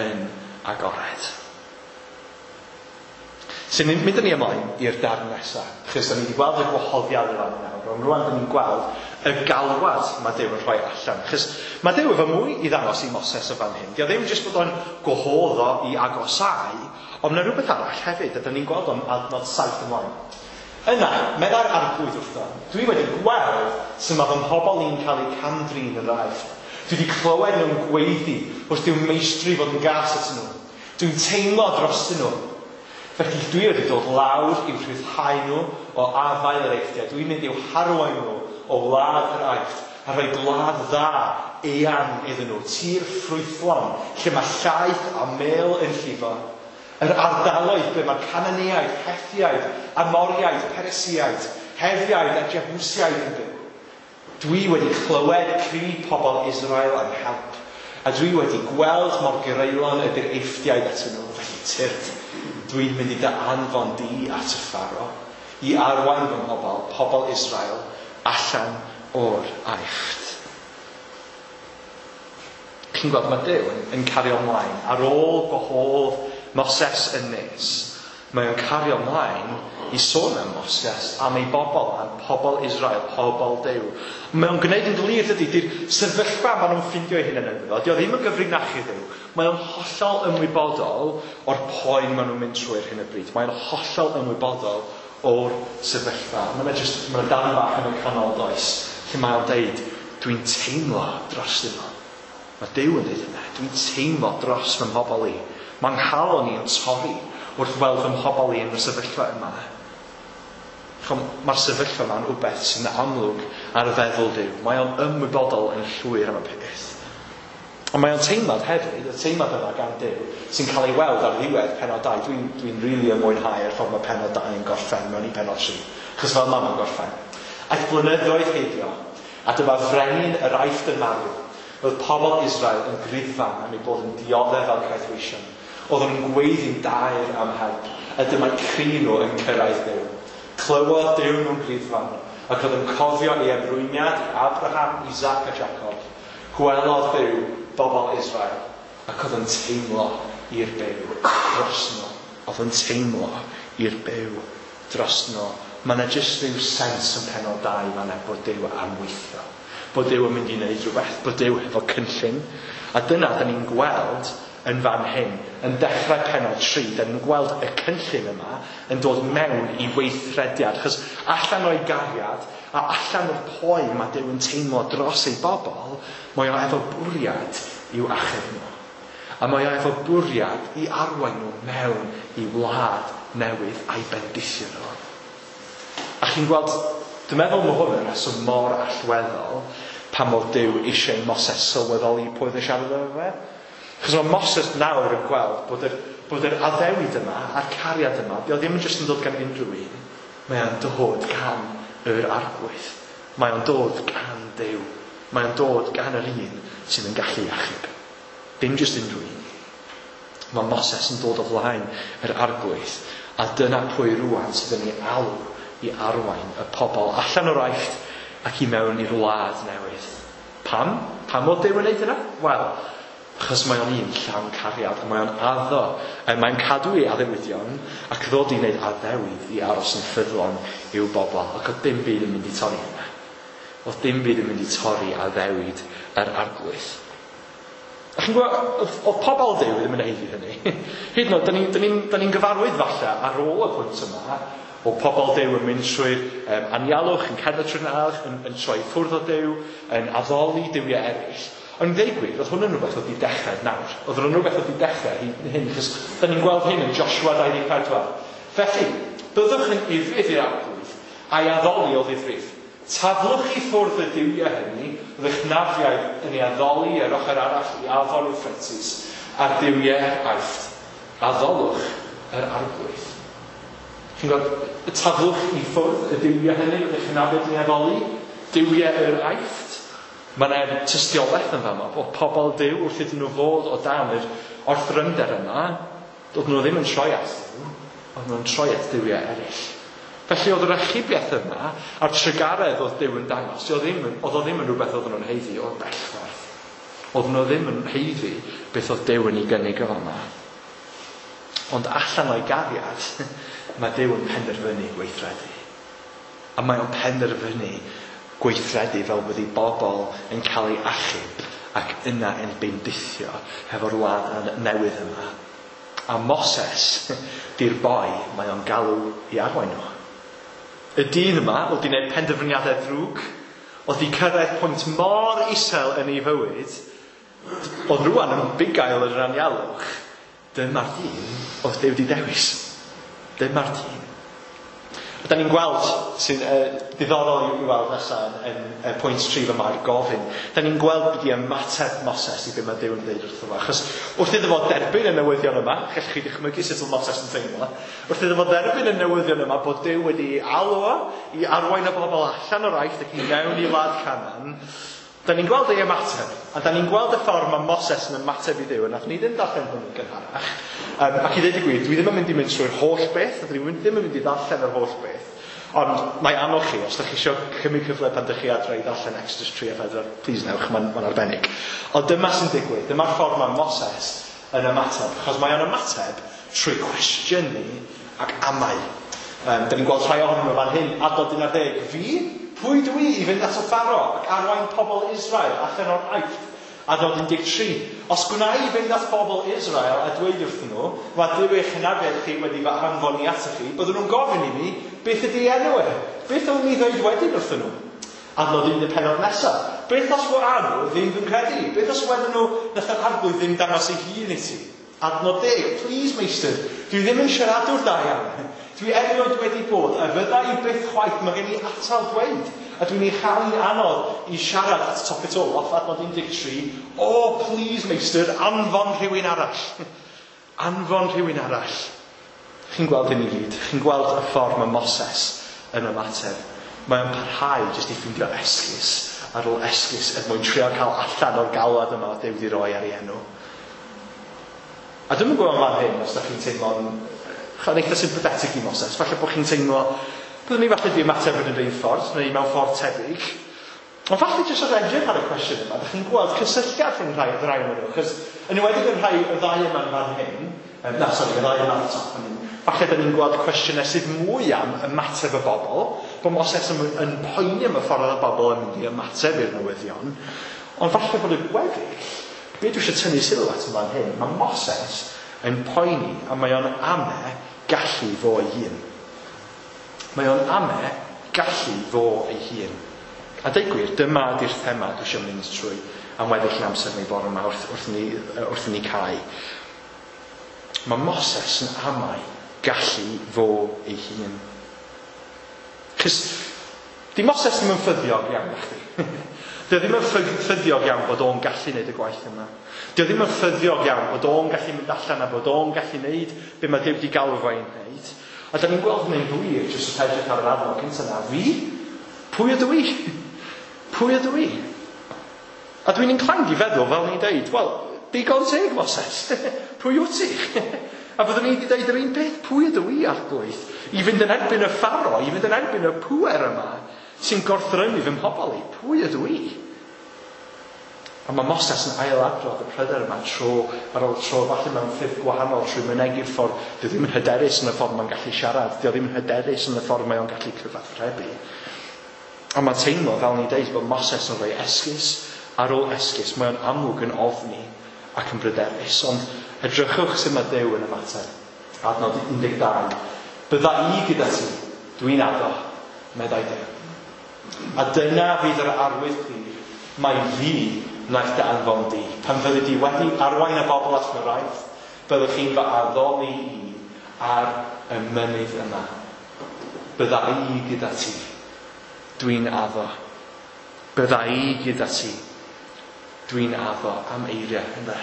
yn agored. Sy'n mynd â ni ymlaen i'r darn nesaf, achos da ni wedi gweld y gwahoddiad yn fan nawr, ond rwan da ni'n gweld y galwad mae Duw yn rhoi allan. Achos mae Duw efo mwy i ddangos i Moses o fan hyn. Dio ddim jyst bod o'n gwahodd o i agosau, ond mae rhywbeth arall hefyd, a da ni'n gweld o'n adnod saith ymlaen. Yna, meddai'r arglwydd wrtho, dwi wedi gweld sut mae fy mhobl i'n cael eu cam-drin yn yr Aifft. Dwi wedi clywed nhw'n gweiddi wrth i'w meistri fod yn gas atyn nhw. Dwi'n teimlo drostyn nhw. Felly dwi wedi dod lawr i'w rhyddhau nhw o afael yr Eifftiaid. Dwi'n mynd i'w harwain nhw o wlad yr Aifft a rhoi gwlad dda eang iddyn nhw, tir ffrwythlon, lle mae llaeth a mêl yn llifo. Yr ardaloedd ble mae'r Cananeaid, Hethiaid, Amoriaid, Peresiaid, Hefiaid a Jebusiaid yn byw. Dwi wedi clywed cri pobl Israel am help, a dwi wedi gweld mor greulon ydy'r Eifftiaid atyn nhw. Felly tyrd, dwi'n mynd i dy anfon di at y Pharaoh, i arwain fy mhobl, pobl Israel, allan o'r Aifft. Chi'n gweld mae Duw yn, yn cario ymlaen. Ar ôl gwahodd Moses yn nes, mae o'n cario ymlaen i sôn am Moses, am ei bobl, am pobl Israel, pobl Duw. Mae o'n gwneud yn glir, dydy, di'r sefyllfa maen nhw'n ffindio eu hunain ynddo fo. Dio ddim yn gyfrinach i Dduw. Mae o'n hollol ymwybodol o'r poen maen nhw'n mynd trwy'r hyn o bryd. Mae o'n hollol ymwybodol o'r sefyllfa. Mae yna just, mae yna darn bach yn y canol does, lle mae o'n deud, dwi'n teimlo dros nhw. Mae Duw yn deud yna, dwi'n teimlo dros fy mhobl i. Mae'n nghalon i yn torri wrth weld fy mhobl i yn y sefyllfa yma. Mae'r sefyllfa yma'n wbeth sy'n amlwg ar feddwl Duw. Mae o'n ymwybodol yn llwyr am y peth. Ond mae o'n teimlad hefyd, y teimlad yma gan Duw, sy'n cael ei weld ar ddiwedd pennod dau. Dwi'n dwi rili yn mwynhau yr ffordd mae pennod dau yn gorffen mewn i pennod tri. Chos fel ma mae'n gorffen. Aeth blynyddoedd heibio, a dyma frenin yr Aifft yn marw. Roedd pobl Israel yn griddfan am eu bod yn dioddef fel caethweision. Oedden nhw'n gweiddi'n daer am help, a dyma'r cri nhw yn cyrraedd Duw. Clywodd Duw nhw'n griddfan, ac oedd yn cofio ei ymrwymiad i Abraham, Isaac a Jacob. Gwelodd Duw bobl Israel, ac oedd yn teimlo i'r byw dros nhw. Oedd yn teimlo i'r byw dros nhw. Mae yna jyst rhyw sens yn pennod dau fan'na bod Duw am weithio. Bod Duw yn mynd i wneud rhywbeth, bod Duw efo cynllun. A dyna da ni'n gweld yn fan hyn, yn dechrau pennod tri, da ni'n gweld y cynllun yma yn dod mewn i weithrediad. Achos allan o'i gariad a allan o'r poen mae Duw yn teimlo dros ei bobl, mae o efo bwriad i'w achub nhw. A mae o efo bwriad i arwain nhw mewn i wlad newydd a'i bendithio nhw. A chi'n gweld, dwi'n meddwl mae hwn yn rheswm mor allweddol pam oedd Duw eisiau i Moses sylweddoli pwy oedd yn siarad efo fe. Achos mae Moses nawr yn gweld bod yr, bod yr addewid yma a'r cariad yma, dio ddim yn jyst yn dod gan unrhyw un. Mae o'n dod gan yr Arglwydd. Mae o'n dod gan Duw. Mae o'n dod gan yr un sydd yn gallu achub. Dim jyst unrhyw un. Mae Moses yn dod o flaen yr Arglwydd, a dyna pwy rwan sydd yn ei alw i arwain y pobl allan o'r Aifft ac i mewn i'r wlad newydd. Pam? Pam oedd Duw yn neud hynna? Wel, achos mae o'n un llawn cariad, a mae o'n addo, a mae'n cadw ei addewidion, ac ddod i wneud addewid i aros yn ffyddlon i'w bobl. Ac oedd dim byd yn mynd i torri hynna. Oedd dim byd yn mynd i torri addewid yr Arglwydd. A chi'n gwybod, oedd, oedd pobl Duw ddim yn haeddu hynny. Hyd yn oed, da ni'n ni, ni, ni gyfarwydd falle ar ôl y pwynt yma, o pobl Duw yn mynd trwy'r um, anialwch, yn cerdded trwy'r anialwch, yn, yn troi ffwrdd o Duw, yn addoli duwiau eraill. Ond i ddeud gwir, oedd hwn yn rhywbeth oedd wedi dechrau nawr. Oedd hwn yn rhywbeth oedd wedi dechrau hyd yn hyn, achos da ni'n gweld hyn yn Joshua dau ddeg pedwar. Felly, byddwch yn ufudd i'r Arglwydd a'i addoli o ddifrif. Taflwch i ffwrdd y duwiau hynny, oedd eich nafiaid yn ei addoli ar ochr arall i afon Euphrates, a'r duwiau Aifft. Addolwch yr Arglwydd. Chi'n gweld, taflwch i ffwrdd y duwiau hynny, oedd eich nafiaid yn ei addoli, duwiau yr Aifft. Mae yna tystiolaeth yn fama bod pobl Duw wrth iddyn nhw fod o dan yr orthrymder yma, doedd nhw ddim yn troi at Duw, oedd nhw'n troi at duwiau eraill. Felly oedd yr achubiaeth yma a'r trugaredd oedd Duw yn dangos, oedd, ddim, oedd o ddim yn rhywbeth oedd nhw'n haeddu o'r bell ffordd. Oedd nhw ddim yn haeddu beth oedd Duw yn ei gynnig o fama. Ond allan o'i gariad, mae Duw yn penderfynu gweithredu. A mae o'n penderfynu gweithredu fel bod ei bobl yn cael ei achub ac yna yn bendithio hefo'r wlad newydd yma. A Moses, di'r boi, mae o'n galw i arwain nhw. Y dyn yma oedd wedi gwneud penderfyniadau ddrwg, oedd wedi cyrraedd pwynt mor isel yn ei fywyd, oedd rwan yn bugail yr anialwch. Dyma'r dyn oedd Duw wedi dewis. Dyma'r dyn. A da ni'n gweld, sy'n uh, diddorol i'w weld nesaf yn, yn, yn pwynt tri fy mae'r gofyn, da ni'n gweld beth i ymateb Moses i be mae Duw yn dweud wrtho fo. Achos wrth iddo fo derbyn y newyddion yma, gallwch chi ddychmygu sut oedd Moses yn teimlo, wrth iddo fo dderbyn y newyddion yma bod Duw wedi alw o i arwain y bobl allan o'r Aifft ac i mewn i wlad Canaan, da ni'n gweld ei ymateb, a da ni'n gweld y ffordd mae Moses yn ymateb i Dduw, a nath ni ddim darllen hwn yn gynharach. Um, ac i ddweud y gwir, dwi ddim yn mynd i mynd trwy'r holl beth, a dwi ddim yn mynd i ddarllen yr holl beth. Ond mae anodd chi, os ydych chi eisiau cymryd cyfle pan ydych chi adre i ddarllen Exodus tri a pedwar, please newch, mae'n ma arbennig. Ond dyma sy'n digwydd, dyma'r ffordd mae Moses yn ymateb, achos mae o'n ymateb trwy cwestiynu ac amau. Um, da ni'n gweld rhai ohonyn nhw fan hyn, adnod un ar ddeg, fi? Pwy dwi i fynd at y Pharaoh ac arwain pobl Israel allan o'r Aifft? Adnod un deg tri. Os gwna i fynd at bobl Israel a dweud wrthyn nhw, mae Duw eich hynafiaid chi wedi fy anfon i atoch chi, byddwn nhw'n gofyn i mi, beth ydy enw e? Beth o'n i ddweud wedyn wrthyn nhw? Adnod un y pennod nesaf. Beth os wa nhw ddim fy nghredu? Beth os wedyn nhw nath yr Arglwydd ddim dangos ei hun i ti? Adnod deg. Please, meistr, dwi ddim yn siaradwr da iawn. Dwi erioed wedi bod, a fydda i byth chwaith, mae gen i atal dweud. A dwi'n ei chael hi'n anodd i siarad at top it all off, adnod un deg tri. O, oh, please, meistr, anfon rhywun arall. Anfon rhywun arall. Chi'n gweld hyn i gyd. Chi'n gweld y ffordd mae Moses yn ymateb Mae o'n parhau jyst i ffindio esgus ar ôl esgus er mwyn trio cael allan o'r galwad yma oedd Duw wedi roi ar ei enw. A dwi'm yn gwybod fan hyn os da chi'n teimlo'n yn eitha sympathetic i Moses. Falle bod chi'n teimlo, byddwn ni falle di ymateb yn yr un ffordd, neu mewn ffordd tebyg. Ond falle jyst wrth edrych ar y cwestiwn yma, da chi'n gweld cysylltiad rhwng rhai o'r rhai ohonyn nhw. Chos yn enwedig yn rhai y ddau yma'n fan hyn, um, na, sori, y ddau yma ar y top fan hyn, falle da ni'n gweld cwestiynau sydd mwy am ymateb y bobl, bod Moses yn, yn poeni am y ffordd oedd y bobl yn mynd i ymateb i'r newyddion. Ond falle bod y gweddill, be dwi eisiau tynnu sylw at yn fan hyn, mae Moses yn poeni a mae o'n ame gallu fo ei hun. Mae o'n ame gallu fo ei hun. A deud gwir, dyma ydy'r thema dwi eisiau mynd trwy am weddill yn amser ni bore yma wrth, wrth, ni, wrth ni cau. Mae Moses yn amau gallu fo ei hun. Chos, di Moses ddim yn ffyddiog iawn na chdi. Di o ddim yn ffyddiog iawn bod o'n gallu wneud y gwaith yma. Di o ddim yn ffyddiog iawn bod o'n gallu mynd allan a bod o'n gallu wneud be mae Duw wedi galw fo i wneud. A da ni'n gweld hynny'n glir jyst wrth edrych ar yr adnod cyntaf yna. Fi? Pwy ydw i? Pwy ydw i? A dwi'n inclined i feddwl, fel ni'n deud, wel, digon teg, Moses. Pwy wyt ti? A fyddwn ni wedi deud yr un peth, pwy ydw i, Arglwydd? I fynd yn erbyn y Pharaoh, i fynd yn erbyn y pŵer yma sy'n gorthrymu fy mhobl i. Pwy ydw i? A mae Moses yn ailadrodd y pryder yma tro ar ôl tro, falle mewn ffyrdd gwahanol trwy mynegi'r ffordd. Dio ddim yn hyderus yn y ffordd mae'n gallu siarad, dio ddim yn hyderus yn y ffordd mae o'n gallu cyfathrebu. A mae'n teimlo, fel ni'n deud, bod Moses yn rhoi esgus ar ôl esgus. Mae o'n amlwg yn ofni ac yn bryderus. Ond edrychwch sut mae Duw yn ymateb. Adnod un deg dau. Bydda i gyda ti, dwi'n addo, meddai Duw. A dyna fydd yr arwydd clir, mai fi wnaeth dy anfon di. Pan fyddi di wedi arwain y bobl allan o'r Aifft, byddwch chi'n fy addoli i ar y mynydd yma. Bydda i gyda ti, dwi'n addo. Bydda i gyda ti, dwi'n addo. Am eiriau, ynde?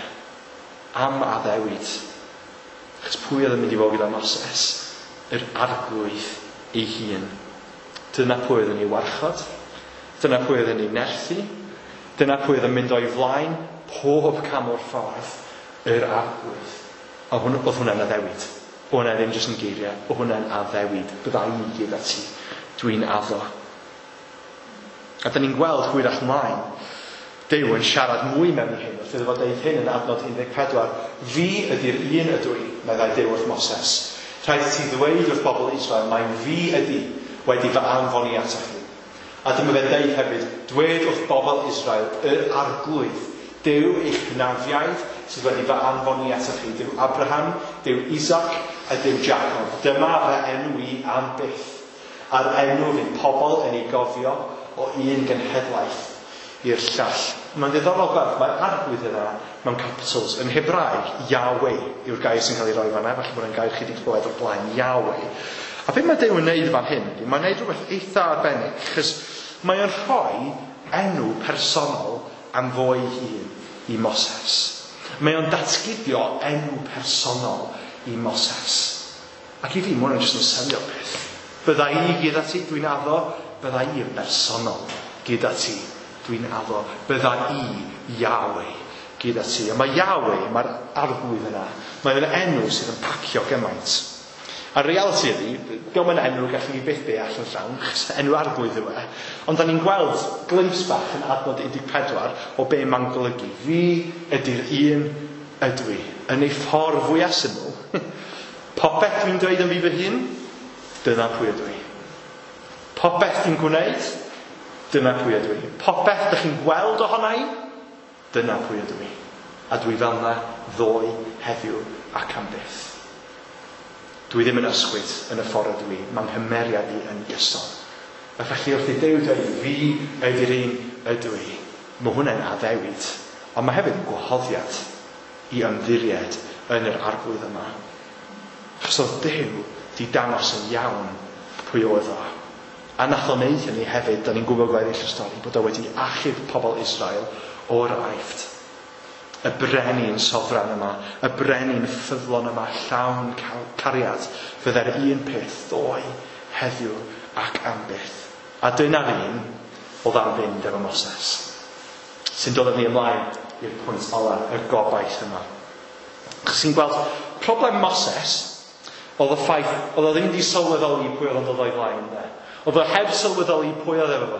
Am addewid. Achos pwy oedd yn mynd i fod gyda Moses? Yr Arglwydd ei hun. Dyna pwy oedd yn ei warchod. Dyna pwy oedd yn ei nerthu. Dyna pwy oedd yn mynd o'i flaen pob cam o'r ffordd, yr Arglwydd. A hwn, oedd hwnna'n addewid. Oedd hwnna ddim jyst yn geiriau. Oedd hwnna'n addewid. Bydda i gyda ti, dwi'n addo. A da ni'n gweld hwyrach ymlaen, Duw yn siarad mwy mewn i hyn, wrth iddo fo deud hyn yn adnod un deg pedwar. Fi ydy'r un ydw i, meddai Duw wrth Moses. Rhaid ti ddweud wrth bobl Israel, mai fi ydy wedi fy anfon i atoch chi. A dyma fe'n deud hefyd, dwed wrth bobl Israel, yr Arglwydd, Duw eich hynafiaid sydd wedi fy anfon i atoch chi, Duw Abraham, Duw Isaac a Duw Jacob. Dyma fy enw i am byth, a'r enw fydd pobl yn ei gofio o un genhedlaeth i'r llall. Mae'n ddiddorol gweld, mae'r Arglwydd yna mewn capitals. Yn Hebraeg, Yahweh yw'r gair sy'n cael ei roi fan'na, falle bod e'n gair chi wedi clywed o'r blaen, Yahweh. A beth mae Duw yn neud fan hyn ydy, mae'n neud rhywbeth eitha arbennig, chos mae o'n rhoi enw personol am fo ei hun i Moses. Mae o'n datguddio enw personol i Moses. Ac i fi, mae hwnna'n jyst yn selio peth. Bydda i gyda ti, dwi'n addo, bydda i yn bersonol gyda ti, dwi'n addo. Bydda i, Yahweh, gyda ti. A mae Yahweh, mae'r Arglwydd yna, mae'n enw sydd yn pacio gymaint. A'r reality ydy, diolch yn enw gallwn ni byth deall yn llawn, achos enw Arglwydd yw e. Ond da ni'n gweld glimpse bach yn adnod un deg pedwar o be mae'n golygu. Fi ydy'r un ydw i, yn ei ffordd fwyaf syml. Popeth dwi'n dweud am fi fy hun, dyna pwy ydw i. Popeth dwi'n gwneud, dyna pwy ydw i. Popeth dych chi'n gweld ohona i, dyna pwy ydw i. A dwi fel yna ddoe, heddiw ac am byth. Dwi ddim yn ysgwyd yn y ffordd ydw i. Mae'n nghymeriad i yn gyson. A felly wrth i Duw dweud, fi ydy'r un ydw i, mae hwnna'n addewid. Ond mae hefyd yn gwahoddiad i ymddiried yn yr Arglwydd yma. Achos oedd Duw di dangos yn iawn pwy oedd o. A nath o wneud hynny hefyd, da ni'n gwybod gweddill y stori, bod o wedi achub pobl Israel o'r Aifft. Y brenin sofran yma, y brenin ffyddlon yma, llawn cariad, fydde'r un peth ddoe, heddiw ac am byth. A dyna'r un oedd am fynd efo Moses. Sy'n dod â ni ymlaen i'r pwynt ola, y gobaith yma. Achos chi'n gweld, problem Moses oedd y ffaith, oedd o ddim wedi sylweddoli pwy oedd o'n dod o'i flaen. De. Oedd o heb sylweddoli pwy oedd efo fo.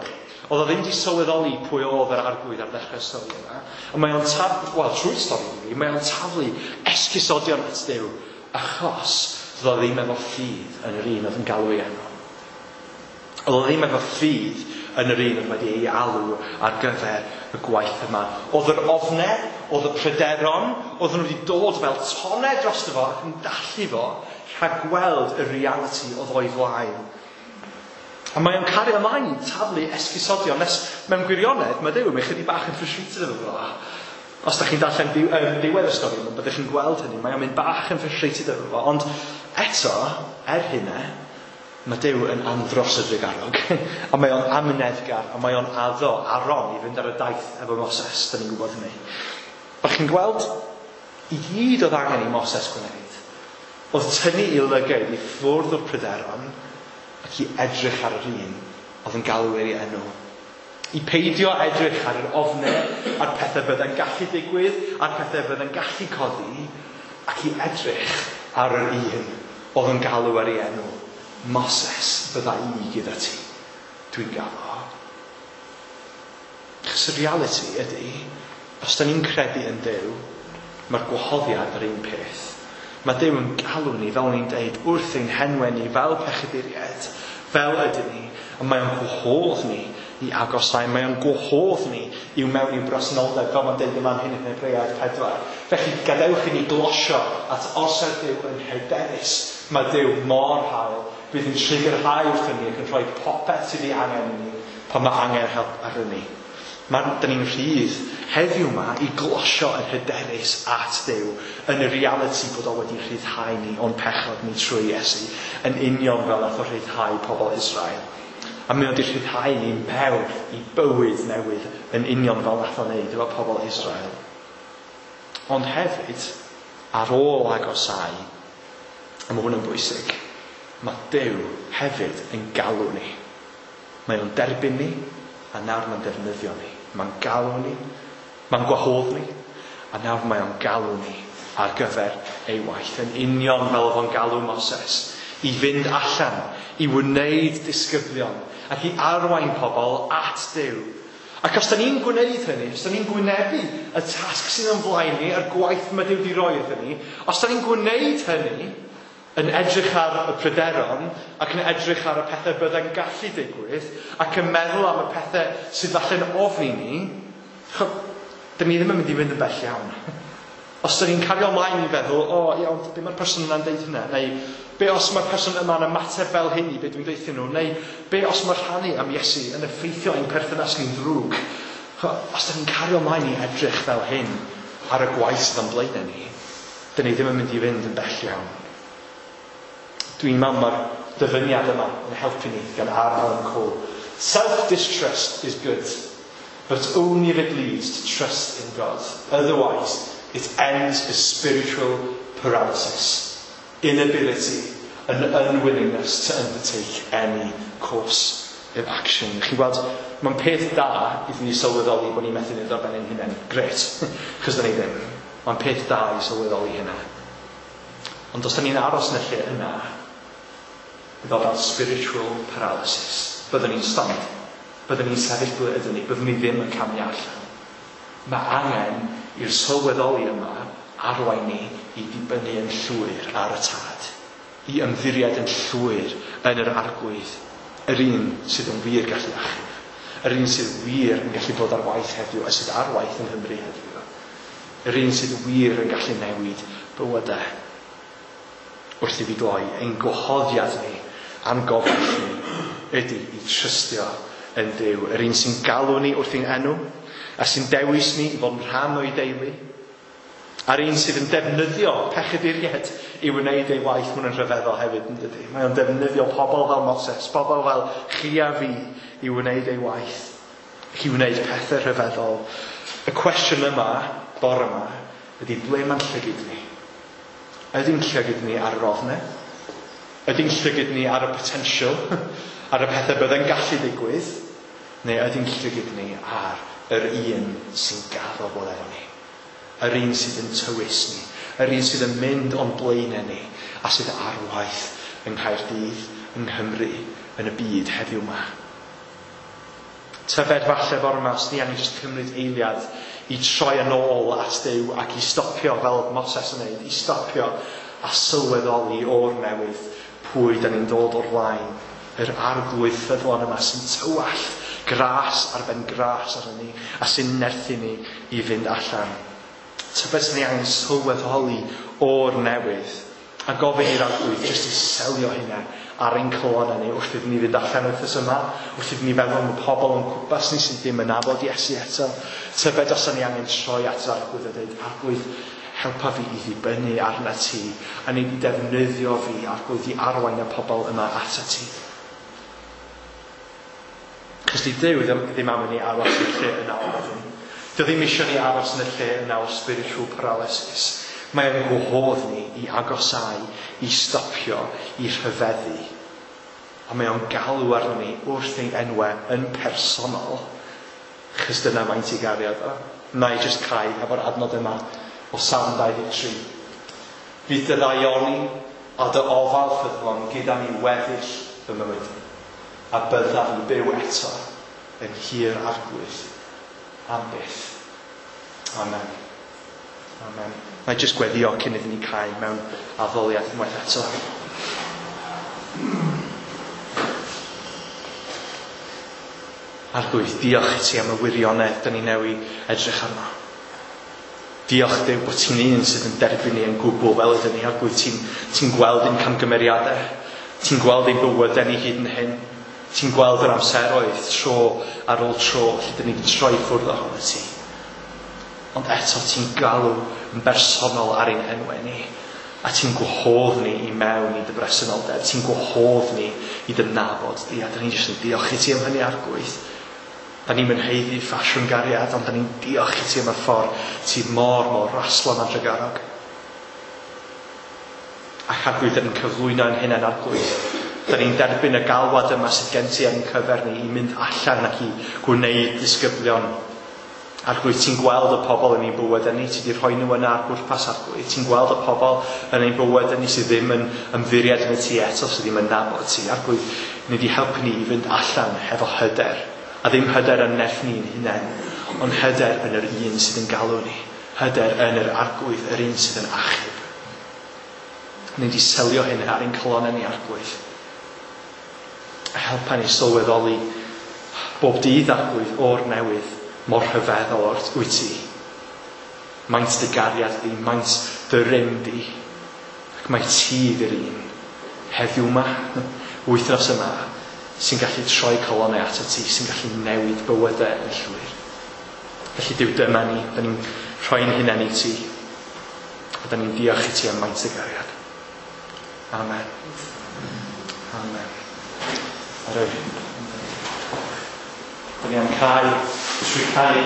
Oedd o ddim wedi sylweddoli pwy oedd yr arglwydd ar ddechrau'r stori yma. A mae o'n taflu, wel, trwy'r stori i fi, mae o'n taflu esgusodion at Duw, achos oedd o ddim efo ffydd yn yr un oedd yn galw ei enw. Oedd o ddim efo ffydd yn yr un oedd wedi ei alw ar gyfer y gwaith yma. Oedd yr ofnau, oedd y pryderon, oedd nhw wedi dod fel tonnau drosto fo ac yn dallu fo rhag gweld y reality oedd o'i flaen. A mae o'n cario ymlaen i taflu esgusodion nes mewn gwirionedd mae Duw yn chydig bach yn frustrated efo fo. Os da chi'n darllen diw, um, diwedd y stori yma, byddwch chi'n gweld hynny. Mae o'n mynd bach yn frustrated efo fo. Ond eto, er hynna, mae Duw yn andros o drugarog. A mae o'n amyneddgar, a mae o'n addo Aaron i fynd ar y daith efo Moses. Da ni'n gwybod hynny. O'ch chi'n gweld, i gyd oedd angen i Moses gwneud, oedd tynnu i lygaid i ffwrdd o'r pryderon ac i edrych ar yr un oedd yn galw ei enw. I peidio edrych ar yr ofnau, a'r pethau byddai'n gallu digwydd, a'r pethau byddai'n gallu codi, ac i edrych ar yr un oedd yn galw ar ei enw. Moses, bydda i gyda ti. Dwi'n galw. Achos y reality ydy, os da ni'n credu yn Duw, mae'r gwahoddiad yr un peth. Mae Duw yn galw ni, fel ni'n deud, wrth ein henwau ni, fel pechaduriaid, fel ydyn ni, a mae o'n gwahodd ni i agosau, mae o'n gwahodd ni i'w mewn i'w bresenoldeb, fel mae'n deud yma'n hyn yn Hebreaid pedwar. Felly gadewch i ni glosio at orsedd Duw yn hyderus. Mae Duw mor hael, bydd yn trugarhau wrthyn ni ac yn rhoi popeth sydd ei angen i ni pan mae angen help arnyn ni. Mae, dyn ni'n rhydd heddiw yma i glosio yn hyderus at Dduw yn y reality bod o wedi rhyddhau ni o'n pechod ni trwy Iesu, yn union fel nath o rhyddhau pobl Israel. A mae o wedi rhyddhau ni mewn i bywyd newydd yn union fel nath o wneud efo pobl Israel. Ond hefyd, ar ôl agosau, a mae hwn yn bwysig, mae Duw hefyd yn galw ni. Mae o'n derbyn ni, a nawr mae'n defnyddio ni. Mae'n galw ni, mae'n gwahodd ni, a nawr mae o'n galw ni ar gyfer ei waith. Yn union fel oedd o'n galw Moses, i fynd allan, i wneud disgyblion, ac i arwain pobl at Duw. Ac os da ni'n gwneud hynny, os da ni'n gwynebu y tasg sydd yn flaen ni, a'r gwaith mae Duw wedi roi iddyn ni, os da ni'n gwneud hynny, yn edrych ar y pryderon, ac yn edrych ar y pethau byddai'n gallu digwydd, ac yn meddwl am y pethau sydd falle'n ofni ni, dyn ni ddim yn mynd i fynd yn bell iawn. Os dyn ni'n cario ymlaen i feddwl, o, oh, iawn, be mae'r person yna'n deud hynna? Neu, be os mae'r person yma'n ymateb fel hyn i be dwi'n deuthyn nhw? Neu, be os mae'r rhannu am Iesu yn effeithio ein perthynas ni'n ddrwg? Os dyn ni'n cario ymlaen i edrych fel hyn ar y gwaith sydd o'n blaenau ni, dyn ni ddim yn mynd i fynd yn bell iawn. Dwi'n meddwl mae'r dyfyniad yma yn helpu ni gan R. Alan Cole. Self-distrust is good, but only if it leads to trust in God. Otherwise, it ends as spiritual paralysis, inability and unwillingness to undertake any course of action. Chi'n gweld, mae'n peth da iddyn ni sylweddoli bod ni'n methu wneud ar ben ein hunain. Grêt, chos da ni ddim. Mae'n peth da i sylweddoli hynna. Ond os da ni'n aros yn y lle yna, bydd o fel spiritual paralysis. Byddwn ni'n stond. Byddwn ni'n sefyll ble ydyn ni. Byddwn ni ddim yn camu allan. Mae angen i'r sylweddoli yma arwain ni i ddibynnu yn llwyr ar y Tad. I ymddiried yn llwyr yn yr Arglwydd. Yr un sydd yn wir gallu achub. Yr un sydd wir yn gallu bod ar waith heddiw, a sydd ar waith yng Nghymru heddiw. Yr un sydd wir yn gallu newid bywydau. Wrth i fi gloi, ein gwahoddiad ni a'n gobaith ni ydy i trystio yn Duw. Yr un sy'n galw ni wrth ein enw, a sy'n dewis ni i fod yn rhan o'i deulu, a'r un sydd yn defnyddio pechaduriaid i wneud ei waith, mwyn yn rhyfeddol hefyd, yn dydy. Mae o'n defnyddio pobl fel Moses, pobl fel chi a fi i wneud ei waith, i wneud pethau rhyfeddol. Y cwestiwn yma, bore yma, ydy ble mae'n llygid ni? Ydy'n llygid ni ar yr ofnau? Ydy'n llygid ni ar y potential? ar y pethau bydde'n gallu digwydd, neu ydy'n llygyd ni ar yr un sy'n gaddo bod efo ni, yr un sydd yn tywys ni, yr un sydd yn mynd o'n blaenau ni, a sydd ar waith yng Nghaerdydd, yng Nghymru, yn y byd heddiw yma. Tybed falle bore yma, os ni angen jyst cymryd eiliad i troi yn ôl at Duw ac i stopio, fel Moses yn neud, i stopio a sylweddoli o'r newydd pwy da ni'n dod o'r flaen, yr arglwydd ffyddlon yma sy'n tywallt gras ar ben gras arno ni a sy'n nerthu ni i fynd allan. Tybed sy'n ni angen sylweddoli o'r newydd a gofyn i'r arglwydd jyst i selio hynna ar ein calonnau ni wrth iddyn ni fynd allan wythnos yma, wrth iddyn ni feddwl am y pobl o'n cwmpas ni sydd ddim yn nabod Iesu eto. Tybed os ni angen troi at yr arglwydd a dweud, arglwydd, helpa fi i ddibynnu arna ti, a ni di defnyddio fi, arglwydd, i arwain y pobl yma at ti. Cos di Duw ddim, ddim am i ni aros i'r lle yna o ofn. Dio ddim eisiau ni aros yn y lle yna o spiritual paralysis. Mae o'n gwahodd ni i agosau, i stopio, i rhyfeddu. A mae o'n galw arno ni wrth ein enwau yn personol. Chos dyna maint i gariad o. Na i jyst cau efo'r adnod yma o Salm dau ddeg tri. Fydd dy ddaioni a dy ofal ffyddlon gyda mi weddill fy mywyd, a byddaf yn byw eto yn hir arglwydd am byth. Amen. Amen. Na i jyst gweddio cyn iddyn ni cau mewn addoliad unwaith eto. Arglwydd, diolch i ti am y wirionedd dyn ni newi edrych arno. Diolch Duw bod ti'n un sydd yn derbyn ni yn gwbl fel ydyn ni. Arglwydd, ti'n ti gweld ein camgymeriadau. Ti'n gweld ein bywydau ni hyd yn hyn. Ti'n gweld yr amseroedd tro ar ôl tro lle dyn ni wedi troi ffwrdd ohono ti. Ond eto ti'n galw yn bersonol ar ein enwau ni. A ti'n gwahodd ni i mewn i dy bresenoldeb. Ti'n gwahodd ni i dy nabod di. A dyn ni jyst yn diolch i ti am hynny, Arglwydd. Da ni'n haeddu ffasiwn gariad, ond da ni'n diolch i ti am y ffordd ti mor, mor raslon a drugarog. Ac Arglwydd, da ni'n cyflwyno ein hunain, Arglwydd. Da ni'n derbyn y galwad yma sydd gen ti ar ein cyfer ni i mynd allan ac i gwneud disgyblion. Arglwydd, ti'n gweld y pobl yn ein bywydau ni, ti wedi rhoi nhw yna ar bwrpas, Arglwydd. Ti'n gweld y pobl yn ein bywydau ni sydd ddim yn ymddiried yn y ti eto, sydd ddim yn nabod ti. Arglwydd, ni wedi helpu ni i fynd allan hefo hyder. A ddim hyder yn nerth ni'n hunain, ond hyder yn yr un sydd yn galw ni. Hyder yn yr Arglwydd, yr un sydd yn achub. Ni wedi selio hyn ar ein calonnau ni, Arglwydd. A helpa ni sylweddoli bob dydd, Arglwydd, o'r newydd, mor rhyfeddol o'r wyt ti. Maint dy gariad di, maint dy rym di. Ac mae ti ddi'r un heddiw yma, wythnos yma, sy'n gallu troi calonnau ato ti, sy'n gallu newid bywydau yn llwyr. Felly Duw, dyma ni, da ni'n rhoi'n hunain i ti, a da ni'n diolch i ti am maint y gariad. Amen. Amen. Arwy. Da ni am cau, trwy canu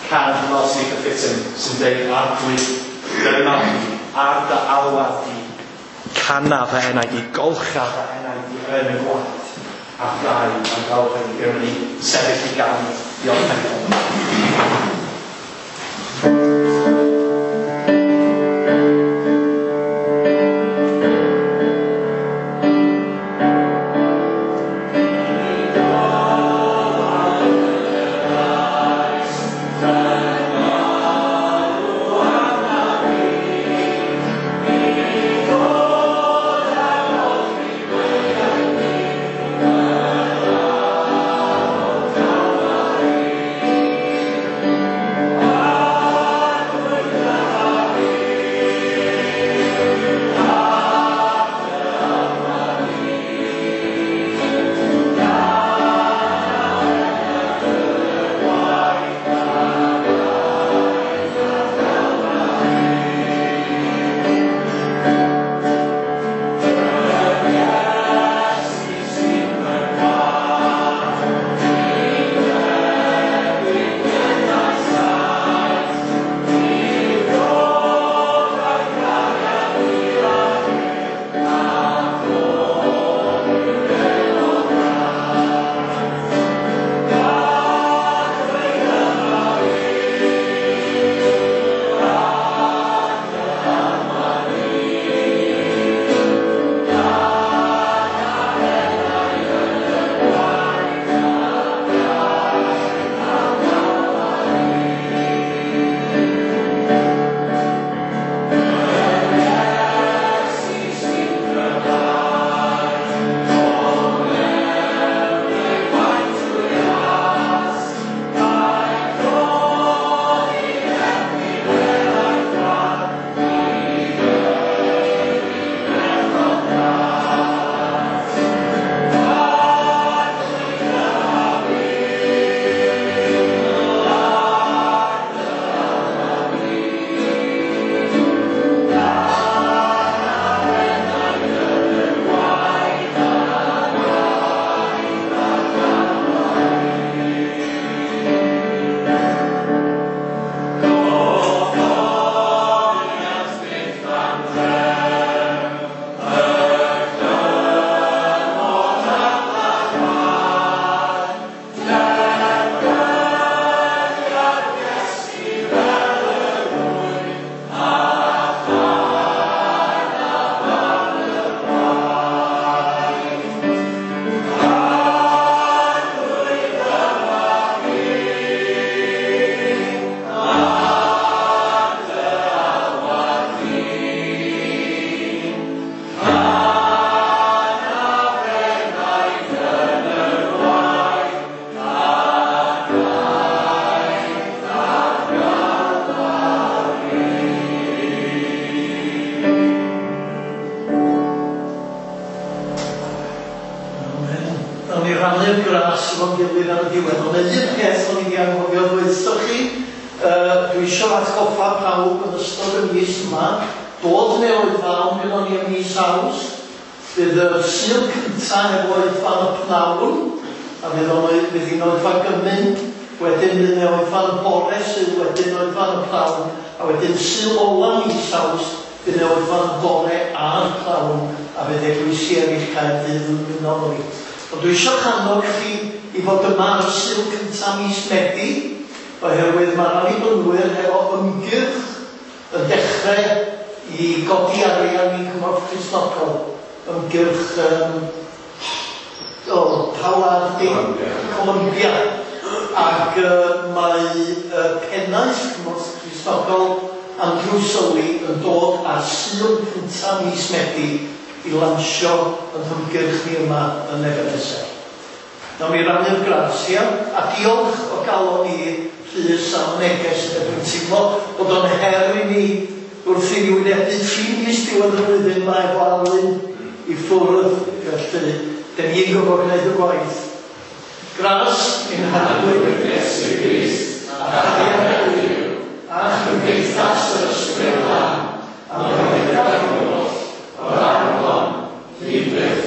cân hynod sy'n gyffredin, sy'n deud, Arglwydd, dyma fi, ar dy alwad di, cana fy enaid i, golcha fy enaid i yn y gwaed, a ddau am gael fy ni, sefyll i ganu, diolch yn fawr. Thank you. gras efo'n gilydd ar y diwedd. Ond un peth o'n i wedi anghofio ddweud chi, uh, dwi eisiau atgoffa pawb yn ystod y mis yma, dod neu oedfaon gyda ni ym mis Awst. Bydd y Sul cyntaf efo oedfaon y pnawn, a fydd o'n fydd hi'n oedfa gymun, wedyn fydd hi'n oedfaon y bore sydd wedyn oedfaon y pnawn, a wedyn Sul ola mis Awst fydd hi'n oedfaon y bore a'r pnawn, a fydd eglwysi eraill Caerdydd yn ymuno efo ni. Ond dwi eisiau annog chi i fod yma ar y Sul cyntaf mis Medi, oherwydd mae'r Annibynwyr hefo ymgyrch yn dechrau i godi arian i Cymorth Cristnogol. Ymgyrch um, o, pa wlad di? Columbia. Ac uh, mae uh, pennaeth Cymorth Cristnogol Andrew Sully yn dod ar Sul cyntaf mis Medi i lansio yn hymgyrch ni yma yn Ebenezer. Nawn ni rannu'r gras, ia? A diolch o galon i Rhys am y neges. Dwi'n teimlo bod o'n her i ni wrth i ni wynebu tri mis diwedd y flwyddyn yma efo Alun i ffwrdd, felly dyn ni'n gorfod gwneud y gwaith. Gras i'n Harglwydd Iesu Grist, a chariad Duw, a chymdeithas yr Ysbryd Glân, a gyda'r holl, o'r awr hon, hyd byth.